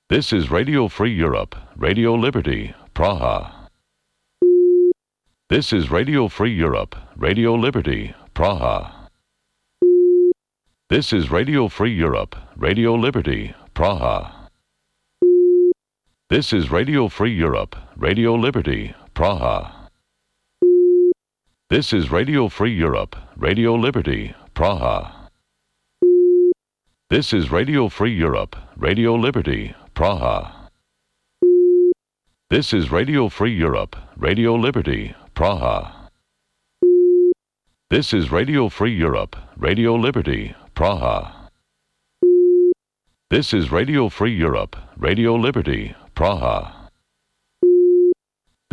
This is Radio Free Europe, Radio Liberty, Praha. This is Radio Free Europe, Radio Liberty, Praha. This is Radio Free Europe, Radio Liberty, Praha. This is Radio Free Europe, Radio Liberty, Praha. This is Radio Free Europe, Radio Liberty, Praha. This is Radio Free Europe, Radio Liberty, Praha. This is Radio Free Europe, Radio Liberty, Praha. This is Radio Free Europe, Radio Liberty, Praha. This is Radio Free Europe, Radio Liberty, Praha. This is Radio Free Europe, Radio Liberty, Praha.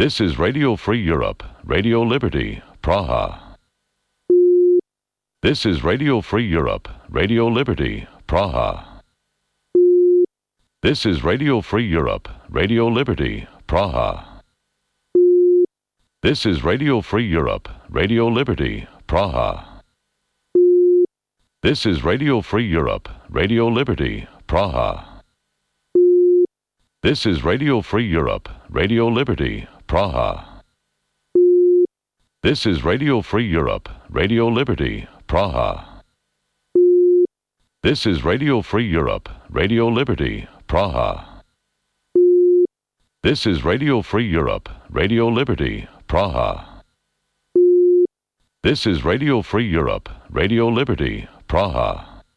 This is Radio Free Europe, Radio Liberty, Praha. This is Radio Free Europe, Radio Liberty, Praha. This is Radio Free Europe, Radio Liberty, Praha. This is Radio Free Europe, Radio Liberty, Praha. This is Radio Free Europe, Radio Liberty, Praha. This is Radio Free Europe, Radio Liberty, Praha. This is Radio Free Europe, Radio Liberty, Praha. This is Radio Free Europe, Radio Liberty, Praha. This is Radio Free Europe, Radio Liberty, Praha. This is Radio Free Europe, Radio Liberty, Praha.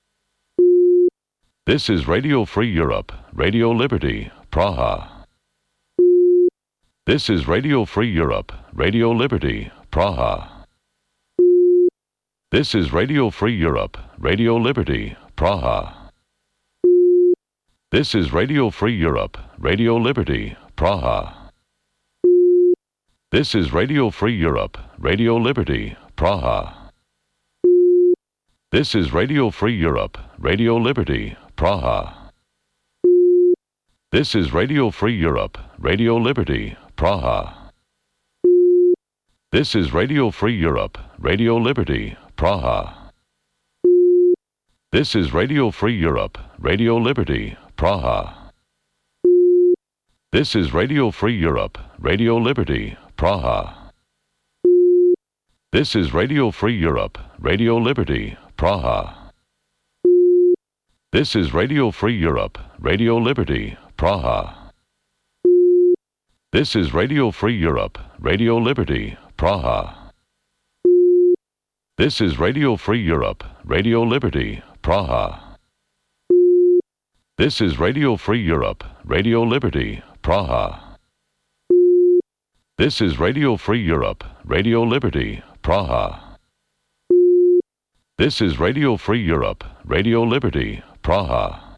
This is Radio Free Europe, Radio Liberty, Praha. This is Radio Free Europe, Radio Liberty, Praha. This is Radio Free Europe, Radio Liberty, Praha. This is Radio Free Europe, Radio Liberty, Praha. This is Radio Free Europe, Radio Liberty, Praha. This is Radio Free Europe, Radio Liberty, Praha. This is Radio Free Europe, Radio Liberty, Praha. This is Radio Free Europe, Radio Liberty, Praha. This is Radio Free Europe, Radio Liberty, Praha. This is Radio Free Europe, Radio Liberty, Praha. This is Radio Free Europe, Radio Liberty, Praha. This is Radio Free Europe, Radio Liberty, Praha. This is Radio Free Europe, Radio Liberty, Praha. This is Radio Free Europe, Radio Liberty, Praha. This is Radio Free Europe, Radio Liberty, Praha. This is Radio Free Europe, Radio Liberty, Praha. This is Radio Free Europe, Radio Liberty, Praha.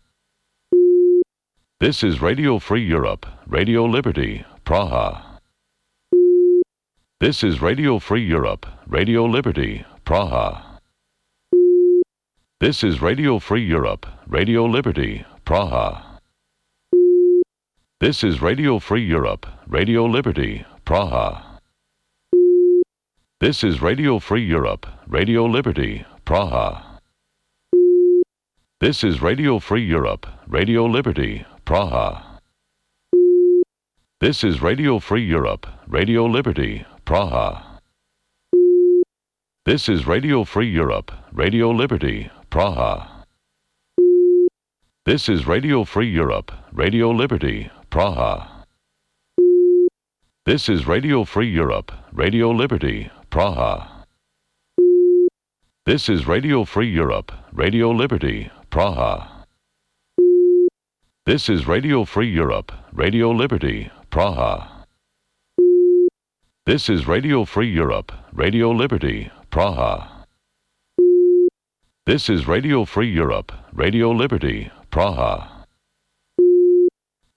This is Radio Free Europe, Radio Liberty, Praha. This is Radio Free Europe, Radio Liberty, Praha. This is Radio Free Europe, Radio Liberty, Praha. This is Radio Free Europe, Radio Liberty, Praha. This is Radio Free Europe, Radio Liberty, Praha. This is Radio Free Europe, Radio Liberty, Praha. This is Radio Free Europe, Radio Liberty, Praha. This is Radio Free Europe, Radio Liberty, Praha. This is Radio Free Europe, Radio Liberty, Praha. This is Radio Free Europe, Radio Liberty, Praha. This is Radio Free Europe, Radio Liberty, Praha. This is Radio Free Europe, Radio Liberty, Praha. This is Radio Free Europe, Radio Liberty, Praha. This is Radio Free Europe, Radio Liberty, Praha.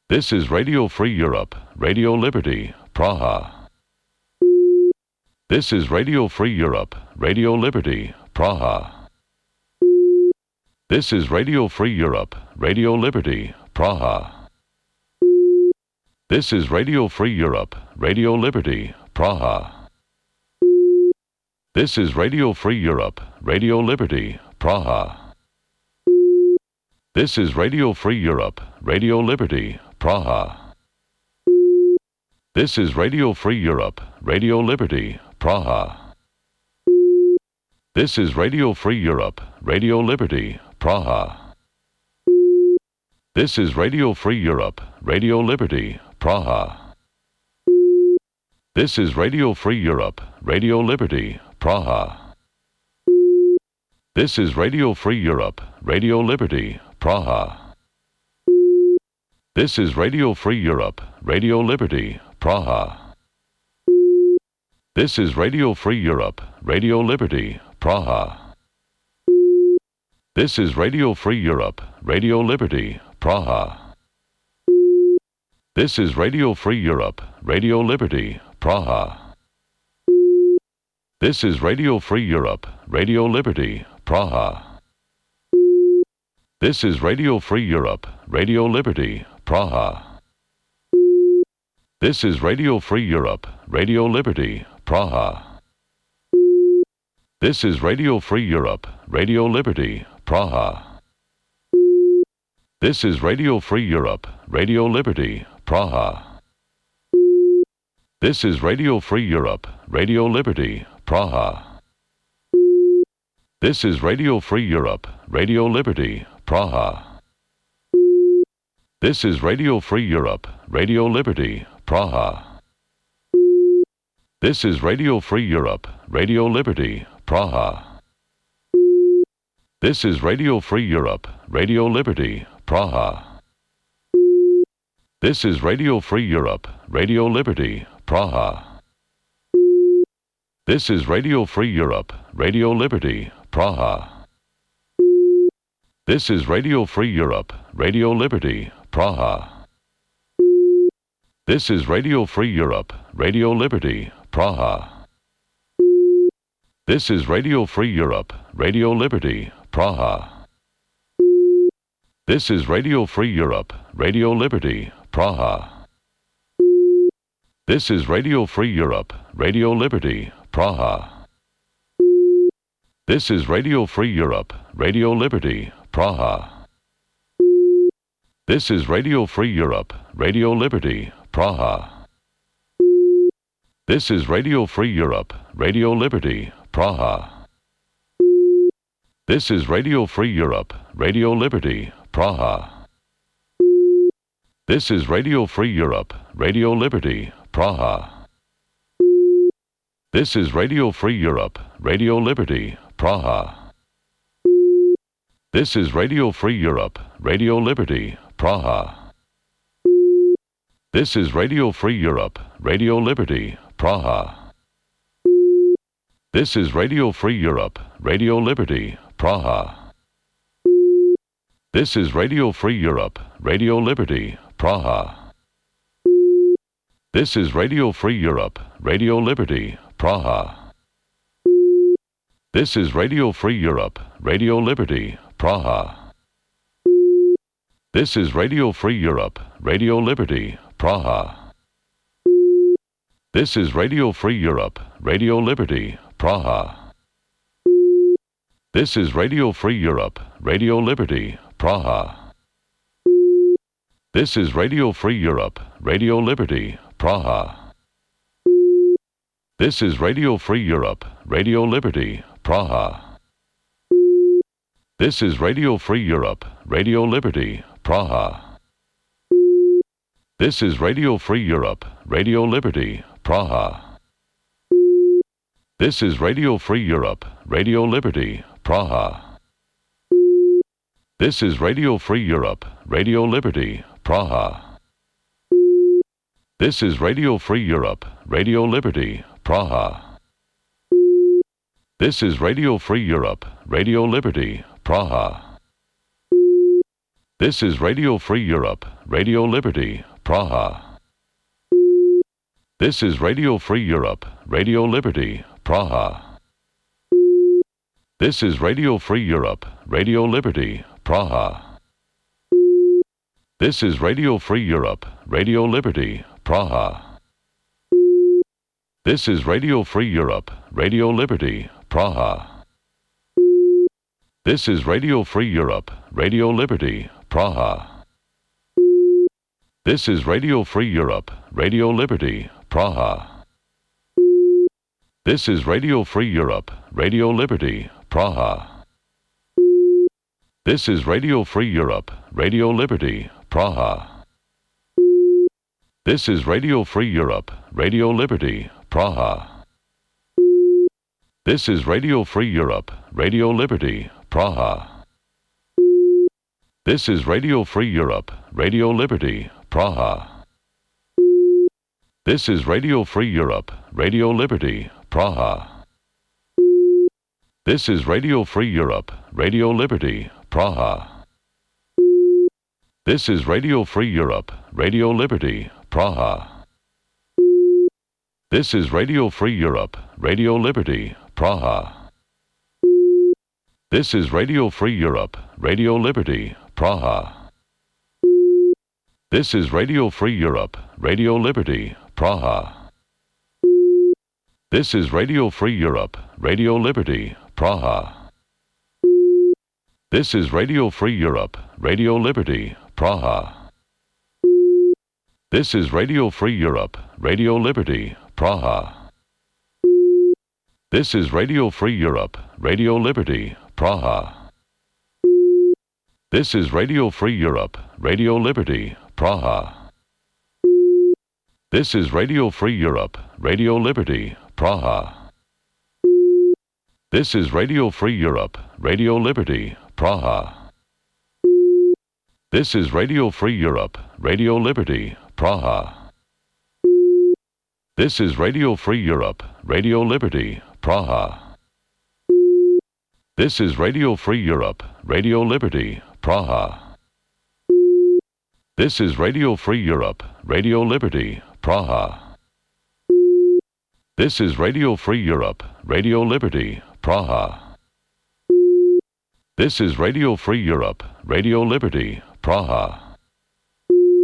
This is Radio Free Europe, Radio Liberty, Praha. This is Radio Free Europe, Radio Liberty, Praha. This is Radio Free Europe, Radio Liberty, Praha. This is Radio Free Europe, Radio Liberty, Praha. This is Radio Free Europe, Radio Liberty, Praha. This is Radio Free Europe, Radio Liberty, Praha. This is Radio Free Europe, Radio Liberty, Praha. This is Radio Free Europe, Radio Liberty, Praha. This is Radio Free Europe, Radio Liberty, Praha. This is Radio Free Europe, Radio Liberty, Praha. This is Radio Free Europe, Radio Liberty, Praha. This is Radio Free Europe, Radio Liberty, Praha. This is Radio Free Europe, Radio Liberty, Praha. This is Radio Free Europe, Radio Liberty, Praha. This is Radio Free Europe, Radio Liberty, Praha. This is Radio Free Europe, Radio Liberty, Praha. This is Radio Free Europe, Radio Liberty, Praha. This is Radio Free Europe, Radio Liberty, Praha. This is Radio Free Europe, Radio Liberty, Praha. This is Radio Free Europe, Radio Liberty, Praha. This is Radio Free Europe, Radio Liberty, Praha. This is Radio Free Europe, Radio Liberty, Praha. This is Radio Free Europe, Radio Liberty, Praha. This is Radio Free Europe, Radio Liberty, Praha. This is Radio Free Europe, Radio Liberty, Praha. This is Radio Free Europe, Radio Liberty, Praha. This is Radio Free Europe, Radio Liberty, Praha. This is Radio Free Europe, Radio Liberty, Praha. This is Radio Free Europe, Radio Liberty, Praha. This is Radio Free Europe, Radio Liberty, Praha. This is Radio Free Europe, Radio Liberty, Praha. This is Radio Free Europe, Radio Liberty, Praha. This is Radio Free Europe, Radio Liberty, Praha. This is Radio Free Europe, Radio Liberty, Praha. This is Radio Free Europe, Radio Liberty, Praha. This is Radio Free Europe, Radio Liberty, Praha. This is Radio Free Europe, Radio Liberty, Praha. This is Radio Free Europe, Radio Liberty, Praha. This is Radio Free Europe, Radio Liberty, Praha. This is Radio Free Europe, Radio Liberty, Praha. This is Radio Free Europe, Radio Liberty, Praha. This is Radio Free Europe, Radio Liberty, Praha. This is Radio Free Europe, Radio Liberty, Praha. This is Radio Free Europe, Radio Liberty, Praha. This is Radio Free Europe, Radio Liberty, Praha. This is Radio Free Europe, Radio Liberty, Praha. This is Radio Free Europe, Radio Liberty, Praha. This is Radio Free Europe, Radio Liberty, Praha. This is Radio Free Europe, Radio Liberty, Praha. This is Radio Free Europe, Radio Liberty, Praha. This is Radio Free Europe, Radio Liberty, Praha. This is Radio Free Europe, Radio Liberty, Praha. This is Radio Free Europe, Radio Liberty, Praha. This is Radio Free Europe, Radio Liberty, Praha. This is Radio Free Europe, Radio Liberty, Praha. This is Radio Free Europe, Radio Liberty, Praha. This is Radio Free Europe, Radio Liberty, Praha. This is Radio Free Europe, Radio Liberty, Praha. This is Radio Free Europe, Radio Liberty, Praha. This is Radio Free Europe, Radio Liberty, Praha. This is Radio Free Europe, Radio Liberty, Praha. This is Radio Free Europe, Radio Liberty, Praha. This is Radio Free Europe, Radio Liberty, Praha. This is Radio Free Europe, Radio Liberty, Praha. This is Radio Free Europe, Radio Liberty, Praha. This is Radio Free Europe, Radio Liberty, Praha. This is Radio Free Europe, Radio Liberty, Praha. This is Radio Free Europe, Radio Liberty, Praha. This is Radio Free Europe, Radio Liberty, Praha. This is Radio Free Europe, Radio Liberty, Praha. This is Radio Free Europe, Radio Liberty, Praha. This is Radio Free Europe, Radio Liberty, Praha. This is Radio Free Europe, Radio Liberty, Praha. This is Radio Free Europe, Radio Liberty, Praha. This is Radio Free Europe, Radio Liberty, Praha. This is Radio Free Europe, Radio Liberty, Praha. This is Radio Free Europe, Radio Liberty, Praha. This is Radio Free Europe, Radio Liberty, Praha. This is Radio Free Europe, Radio Liberty, Praha. This is Radio Free Europe, Radio Liberty, Praha. This is Radio Free Europe, Radio Liberty, Praha. This is Radio Free Europe, Radio Liberty, Praha. This is Radio Free Europe, Radio Liberty, Praha. This is Radio Free Europe, Radio Liberty, Praha. This is Radio Free Europe, Radio Liberty, Praha. This is Radio Free Europe, Radio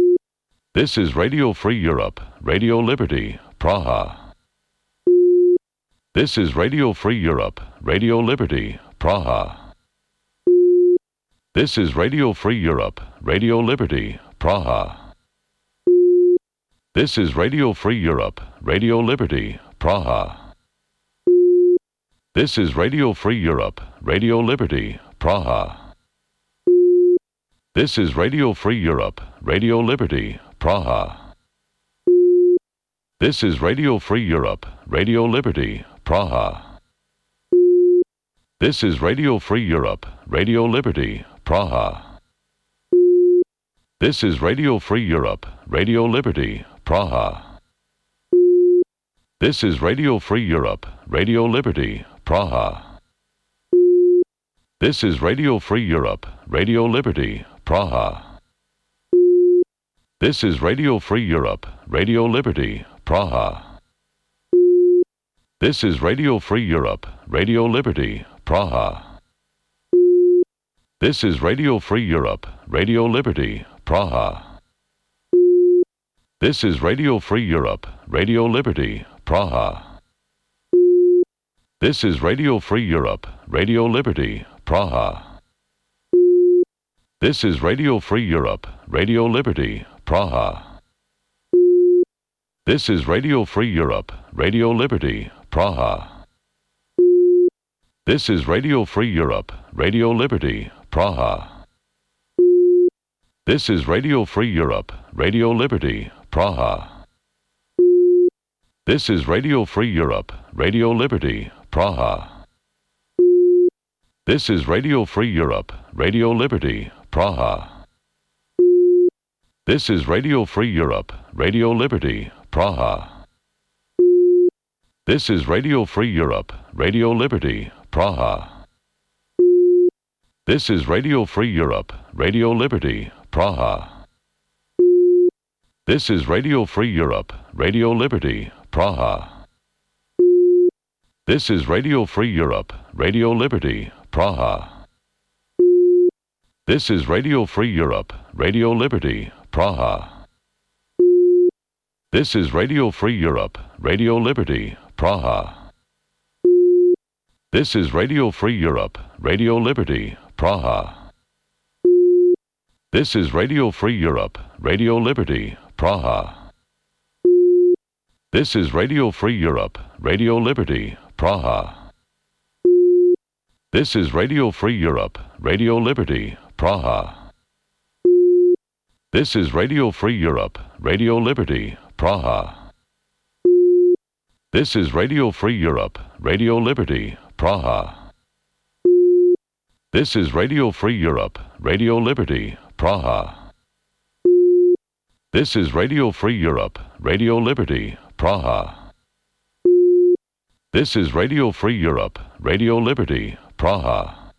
Liberty, Praha. This is Radio Free Europe, Radio Liberty, Praha. This is Radio Free Europe, Radio Liberty, Praha. This is Radio Free Europe, Radio Liberty, Praha. This is Radio Free Europe, Radio Liberty, Praha. This is Radio Free Europe, Radio Liberty, Praha. This is Radio Free Europe, Radio Liberty, Praha. This is Radio Free Europe, Radio Liberty, Praha. This is Radio Free Europe, Radio Liberty, Praha. This is Radio Free Europe, Radio Liberty, Praha. This is Radio Free Europe, Radio Liberty, Praha. This is Radio Free Europe, Radio Liberty, Praha. This is Radio Free Europe, Radio Liberty, Praha. This is Radio Free Europe, Radio Liberty, Praha. This is Radio Free Europe, Radio Liberty, Praha. This is Radio Free Europe, Radio Liberty, Praha. This is Radio Free Europe, Radio Liberty, Praha. This is Radio Free Europe, Radio Liberty, Praha. This is Radio Free Europe, Radio Liberty, Praha. This is Radio Free Europe, Radio Liberty, Praha. This is Radio Free Europe, Radio Liberty, Praha. This is Radio Free Europe, Radio Liberty, Praha. This is Radio Free Europe, Radio Liberty, Praha. This is Radio Free Europe, Radio Liberty, Praha. This is Radio Free Europe, Radio Liberty, Praha. This is Radio Free Europe, Radio Liberty, Praha. This is Radio Free Europe, Radio Liberty, Praha. This is Radio Free Europe, Radio Liberty, Praha. This is Radio Free Europe, Radio Liberty, Praha. This is Radio Free Europe, Radio Liberty, Praha. This is Radio Free Europe, Radio Liberty, Praha. This is Radio Free Europe, Radio Liberty, Praha. This is Radio Free Europe, Radio Liberty, Praha. This is Radio Free Europe, Radio Liberty, Praha. This is Radio Free Europe, Radio Liberty, Praha. This is Radio Free Europe, Radio Liberty, Praha. This is Radio Free Europe, Radio Liberty, Praha. This is Radio Free Europe, Radio Liberty, Praha. This is Radio Free Europe, Radio Liberty, Praha.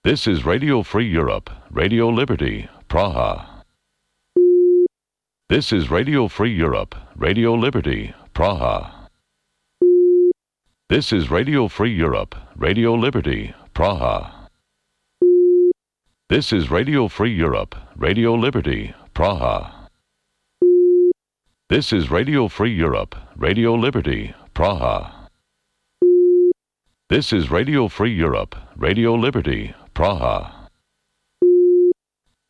This is Radio Free Europe, Radio Liberty, Praha. This is Radio Free Europe, Radio Liberty, Praha. This is Radio Free Europe, Radio Liberty, Praha. This is Radio Free Europe, Radio Liberty, Praha. This is Radio Free Europe, Radio Liberty, Praha. This is Radio Free Europe, Radio Liberty, Praha.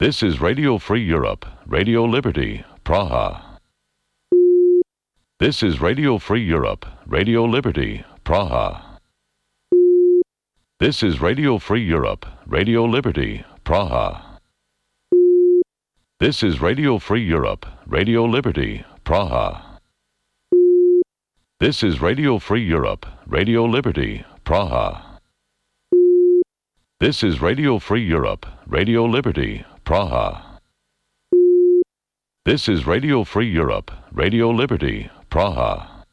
This is Radio Free Europe, Radio Liberty, Praha. This is Radio Free Europe, Radio Liberty, Praha. This is Radio Free Europe, Radio Liberty, Praha. This is Radio Free Europe, Radio Liberty, Praha. This is Radio Free Europe, Radio Liberty, Praha. This is Radio Free Europe, Radio Liberty, Praha. This is Radio Free Europe, Radio Liberty, Praha.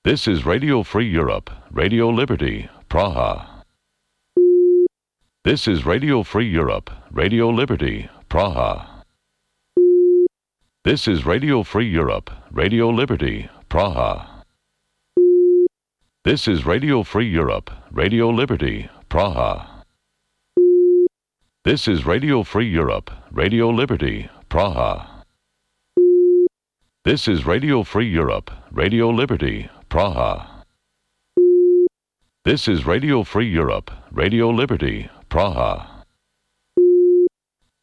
This is Radio Free Europe, Radio Liberty, Praha. This is Radio Free Europe, Radio Liberty, Praha. This is Radio Free Europe, Radio Liberty, Praha. This is Radio Free Europe, Radio Liberty, Praha. This is Radio Free Europe, Radio Liberty, Praha. This is Radio Free Europe, Radio Liberty, Praha. This is Radio Free Europe, Radio Liberty, Praha.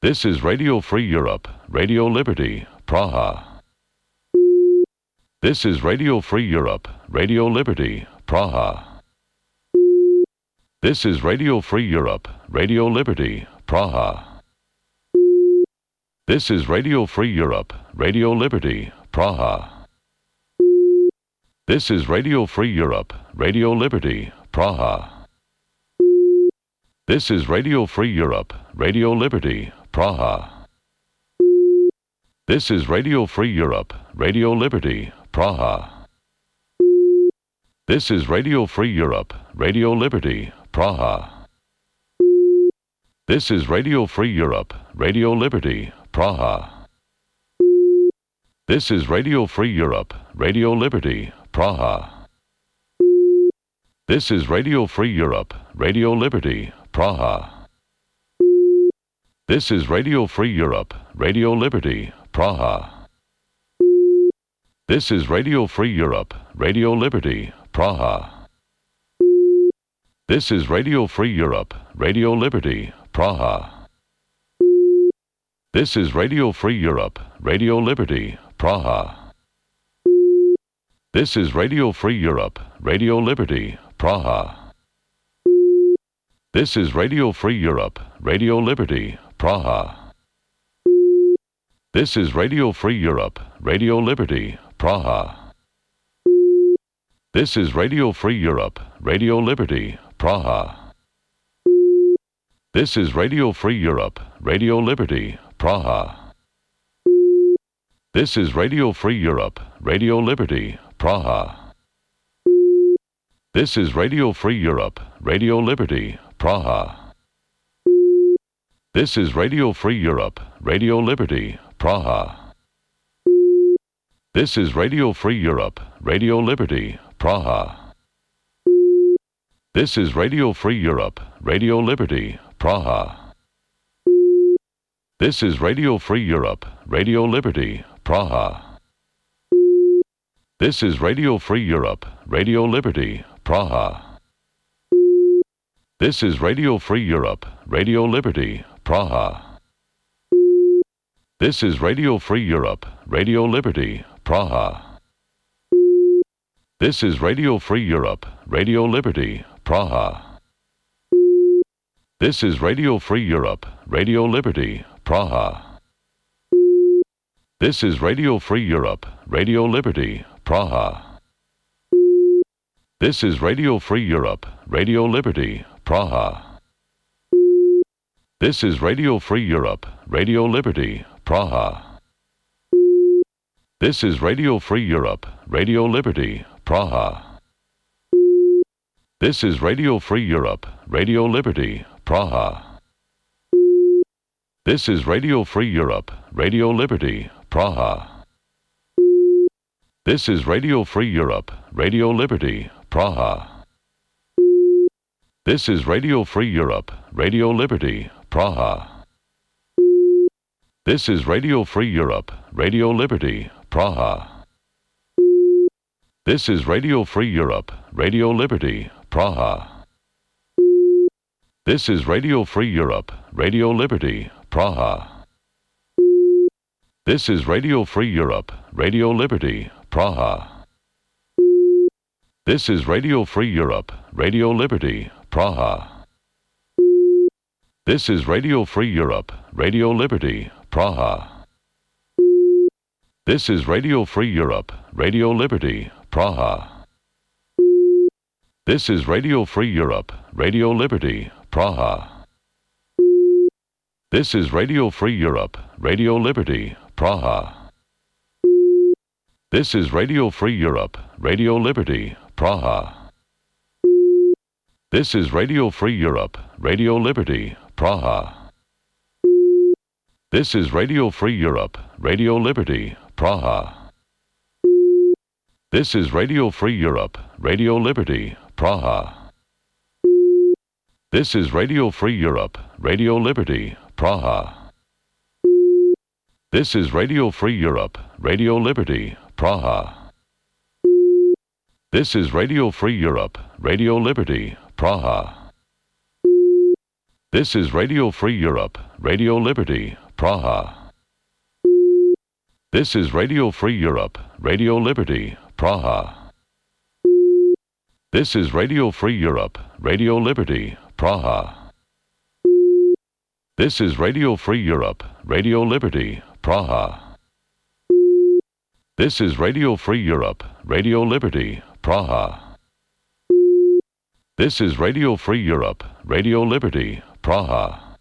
This is Radio Free Europe, Radio Liberty, Praha. This is Radio Free Europe, Radio Liberty, Praha. This is Radio Free Europe, Radio Liberty, Praha. This is Radio Free Europe, Radio Liberty, Praha. This is Radio Free Europe, Radio Liberty, Praha. This is Radio Free Europe, Radio Liberty, Praha. This is Radio Free Europe, Radio Liberty, Praha. This is Radio Free Europe, Radio Liberty, Praha. This is Radio Free Europe, Radio Liberty, Praha. This is Radio Free Europe, Radio Liberty, Praha. This is Radio Free Europe, Radio Liberty, Praha. This is Radio Free Europe, Radio Liberty, Praha. This is Radio Free Europe, Radio Liberty, Praha. This is Radio Free Europe, Radio Liberty, Praha. This is Radio Free Europe, Radio Liberty, Praha. This is Radio Free Europe, Radio Liberty, Praha. This is Radio Free Europe, Radio Liberty, Praha. This is Radio Free Europe, Radio Liberty, Praha. This is Radio Free Europe, Radio Liberty, Praha. This is Radio Free Europe, Radio Liberty, Praha. This is Radio Free Europe, Radio Liberty, Praha. This is Radio Free Europe, Radio Liberty, Praha. This is Radio Free Europe, Radio Liberty, Praha. This is Radio Free Europe, Radio Liberty, Praha. This is Radio Free Europe, Radio Liberty, Praha. This is Radio Free Europe, Radio Liberty, Praha. This is Radio Free Europe, Radio Liberty, Praha. This is Radio Free Europe, Radio Liberty, Praha. This is Radio Free Europe, Radio Liberty, Praha. This is Radio Free Europe, Radio Liberty, Praha. This is Radio Free Europe, Radio Liberty, Praha. This is Radio Free Europe, Radio Liberty, Praha. This is Radio Free Europe, Radio Liberty, Praha. This is Radio Free Europe, Radio Liberty, Praha. This is Radio Free Europe, Radio Liberty, Praha. This is Radio Free Europe, Radio Liberty, Praha. This is Radio Free Europe, Radio Liberty, Praha. This is Radio Free Europe, Radio Liberty, Praha. This is Radio Free Europe, Radio Liberty, Praha. This is Radio Free Europe, Radio Liberty, Praha. This is Radio Free Europe, Radio Liberty, Praha. This is Radio Free Europe, Radio Liberty, Praha. This is Radio Free Europe, Radio Liberty, Praha. This is Radio Free Europe, Radio Liberty, Praha. This is Radio Free Europe, Radio Liberty, Praha. This is Radio Free Europe, Radio Liberty, Praha. This is Radio Free Europe, Radio Liberty, Praha. This is Radio Free Europe, Radio Liberty, Praha. This is Radio Free Europe, Radio Liberty, Praha. This is Radio Free Europe, Radio Liberty, Praha. This is Radio Free Europe, Radio Liberty, Praha. This is Radio Free Europe, Radio Liberty, Praha. This is Radio Free Europe, Radio Liberty, Praha. This is Radio Free Europe, Radio Liberty, Praha. This is Radio Free Europe, Radio Liberty, Praha. This is Radio Free Europe, Radio Liberty, Praha. This is Radio Free Europe, Radio Liberty, Praha. This is Radio Free Europe, Radio Liberty, Praha. This is Radio Free Europe, Radio Liberty, Praha. This is Radio Free Europe, Radio Liberty, Praha. This is Radio Free Europe, Radio Liberty, Praha.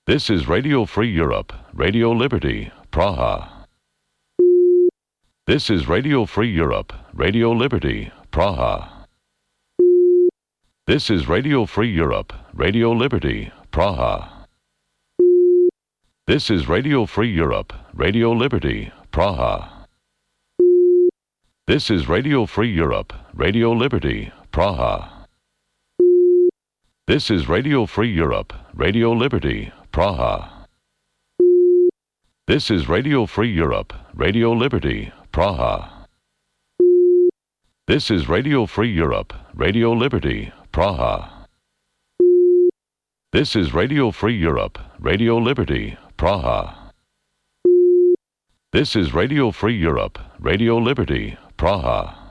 This is Radio Free Europe, Radio Liberty, Praha. This is Radio Free Europe, Radio Liberty, Praha. This is Radio Free Europe, Radio Liberty, Praha. This is Radio Free Europe, Radio Liberty, Praha. This is Radio Free Europe, Radio Liberty, Praha. This is Radio Free Europe, Radio Liberty, Praha. This is Radio Free Europe, Radio Liberty, Praha. This is Radio Free Europe, Radio Liberty, Praha. This is Radio Free Europe, Radio Liberty, Praha. This is Radio Free Europe, Radio Liberty, Praha.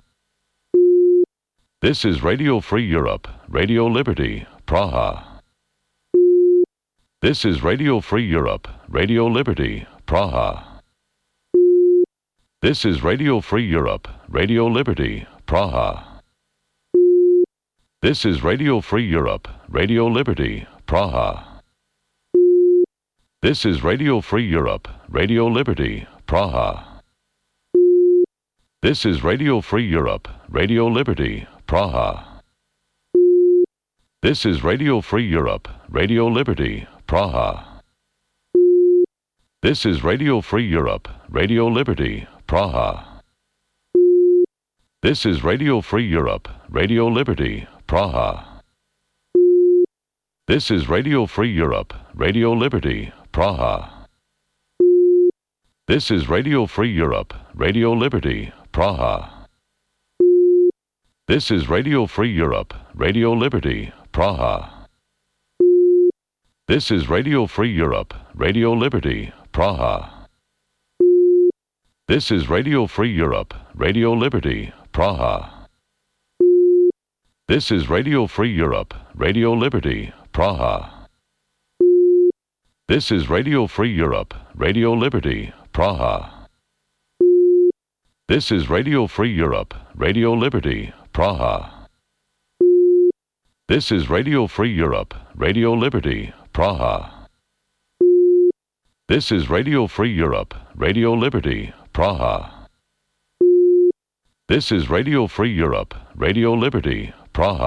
This is Radio Free Europe, Radio Liberty, Praha. This is Radio Free Europe, Radio Liberty, Praha. This is Radio Free Europe, Radio Liberty, Praha. This is Radio Free Europe, Radio Liberty, Praha. This is Radio Free Europe, Radio Liberty, Praha. This is Radio Free Europe, Radio Liberty, Praha. This is Radio Free Europe, Radio Liberty, Praha. This is Radio Free Europe, Radio Liberty, Praha. This is Radio Free Europe, Radio Liberty, Praha. This is Radio Free Europe, Radio Liberty, Praha. This is Radio Free Europe, Radio Liberty, Praha. This is Radio Free Europe, Radio Liberty, Praha. This is Radio Free Europe, Radio Liberty, Praha. This is Radio Free Europe, Radio Liberty, Praha. This is Radio Free Europe, Radio Liberty, Praha. This is Radio Free Europe, Radio Liberty, Praha. This is Radio Free Europe, Radio Liberty, Praha. This is Radio Free Europe, Radio Liberty, Praha. This is Radio Free Europe, Radio Liberty, Praha. This is Radio Free Europe, Radio Liberty, Praha.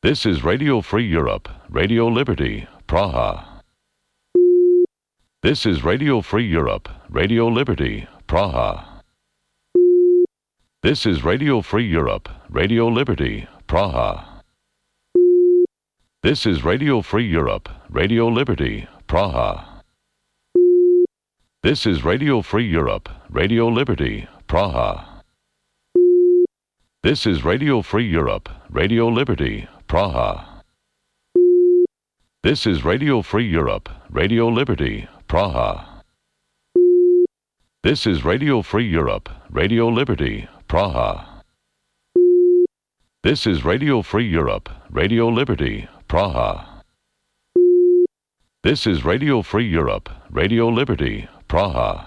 This is Radio Free Europe, Radio Liberty, Praha. This is Radio Free Europe, Radio Liberty, Praha. This is Radio Free Europe, Radio Liberty, Praha. This is Radio Free Europe, Radio Liberty, Praha. This is Radio Free Europe, Radio Liberty, Praha. This is Radio Free Europe, Radio Liberty, Praha. This is Radio Free Europe, Radio Liberty, Praha. This is Radio Free Europe, Radio Liberty, Praha. This is Radio Free Europe, Radio Liberty, Praha. This is Radio Free Europe, Radio Liberty, Praha.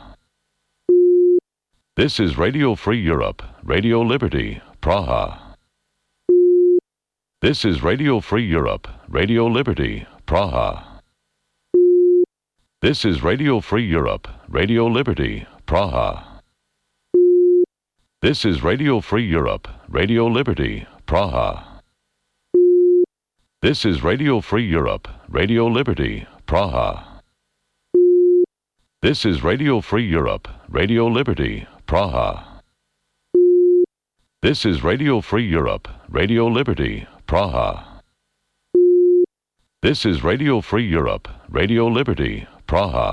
This is Radio Free Europe, Radio Liberty, Praha. This is Radio Free Europe, Radio Liberty, Praha. This is Radio Free Europe, Radio Liberty, Praha. This is Radio Free Europe, Radio Liberty, Praha. This is Radio Free Europe, Radio Liberty, Praha. This is Radio Free Europe, Radio Liberty, Praha. This is Radio Free Europe, Radio Liberty, Praha. This is Radio Free Europe, Radio Liberty, Praha.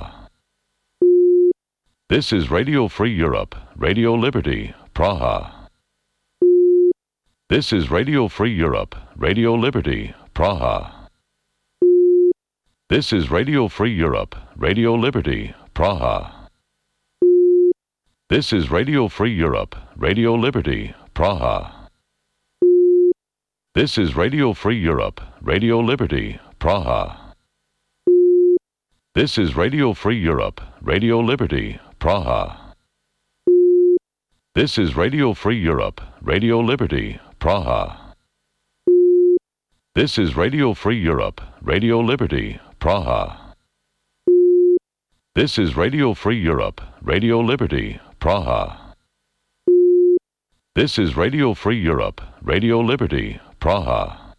This is Radio Free Europe, Radio Liberty, Praha. This is Radio Free Europe, Radio Liberty, Praha. This is Radio Free Europe, Radio Liberty, Praha. This is Radio Free Europe, Radio Liberty, Praha. This is Radio Free Europe, Radio Liberty, Praha. This is Radio Free Europe, Radio Liberty, Praha. This is Radio Free Europe, Radio Liberty, Praha. This is Radio Free Europe, Radio Liberty, Praha. This is Radio Free Europe, Radio Liberty, Praha. This is Radio Free Europe, Radio Liberty, Praha.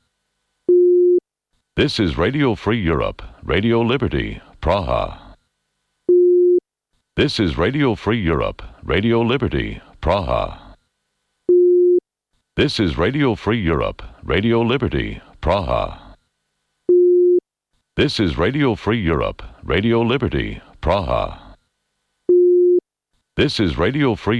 This is Radio Free Europe, Radio Liberty, Praha. This is Radio Free Europe, Radio Liberty, Praha. This is Radio Free Europe, Radio Liberty, Praha. This is Radio Free Europe, Radio Liberty, Praha. This is Radio Free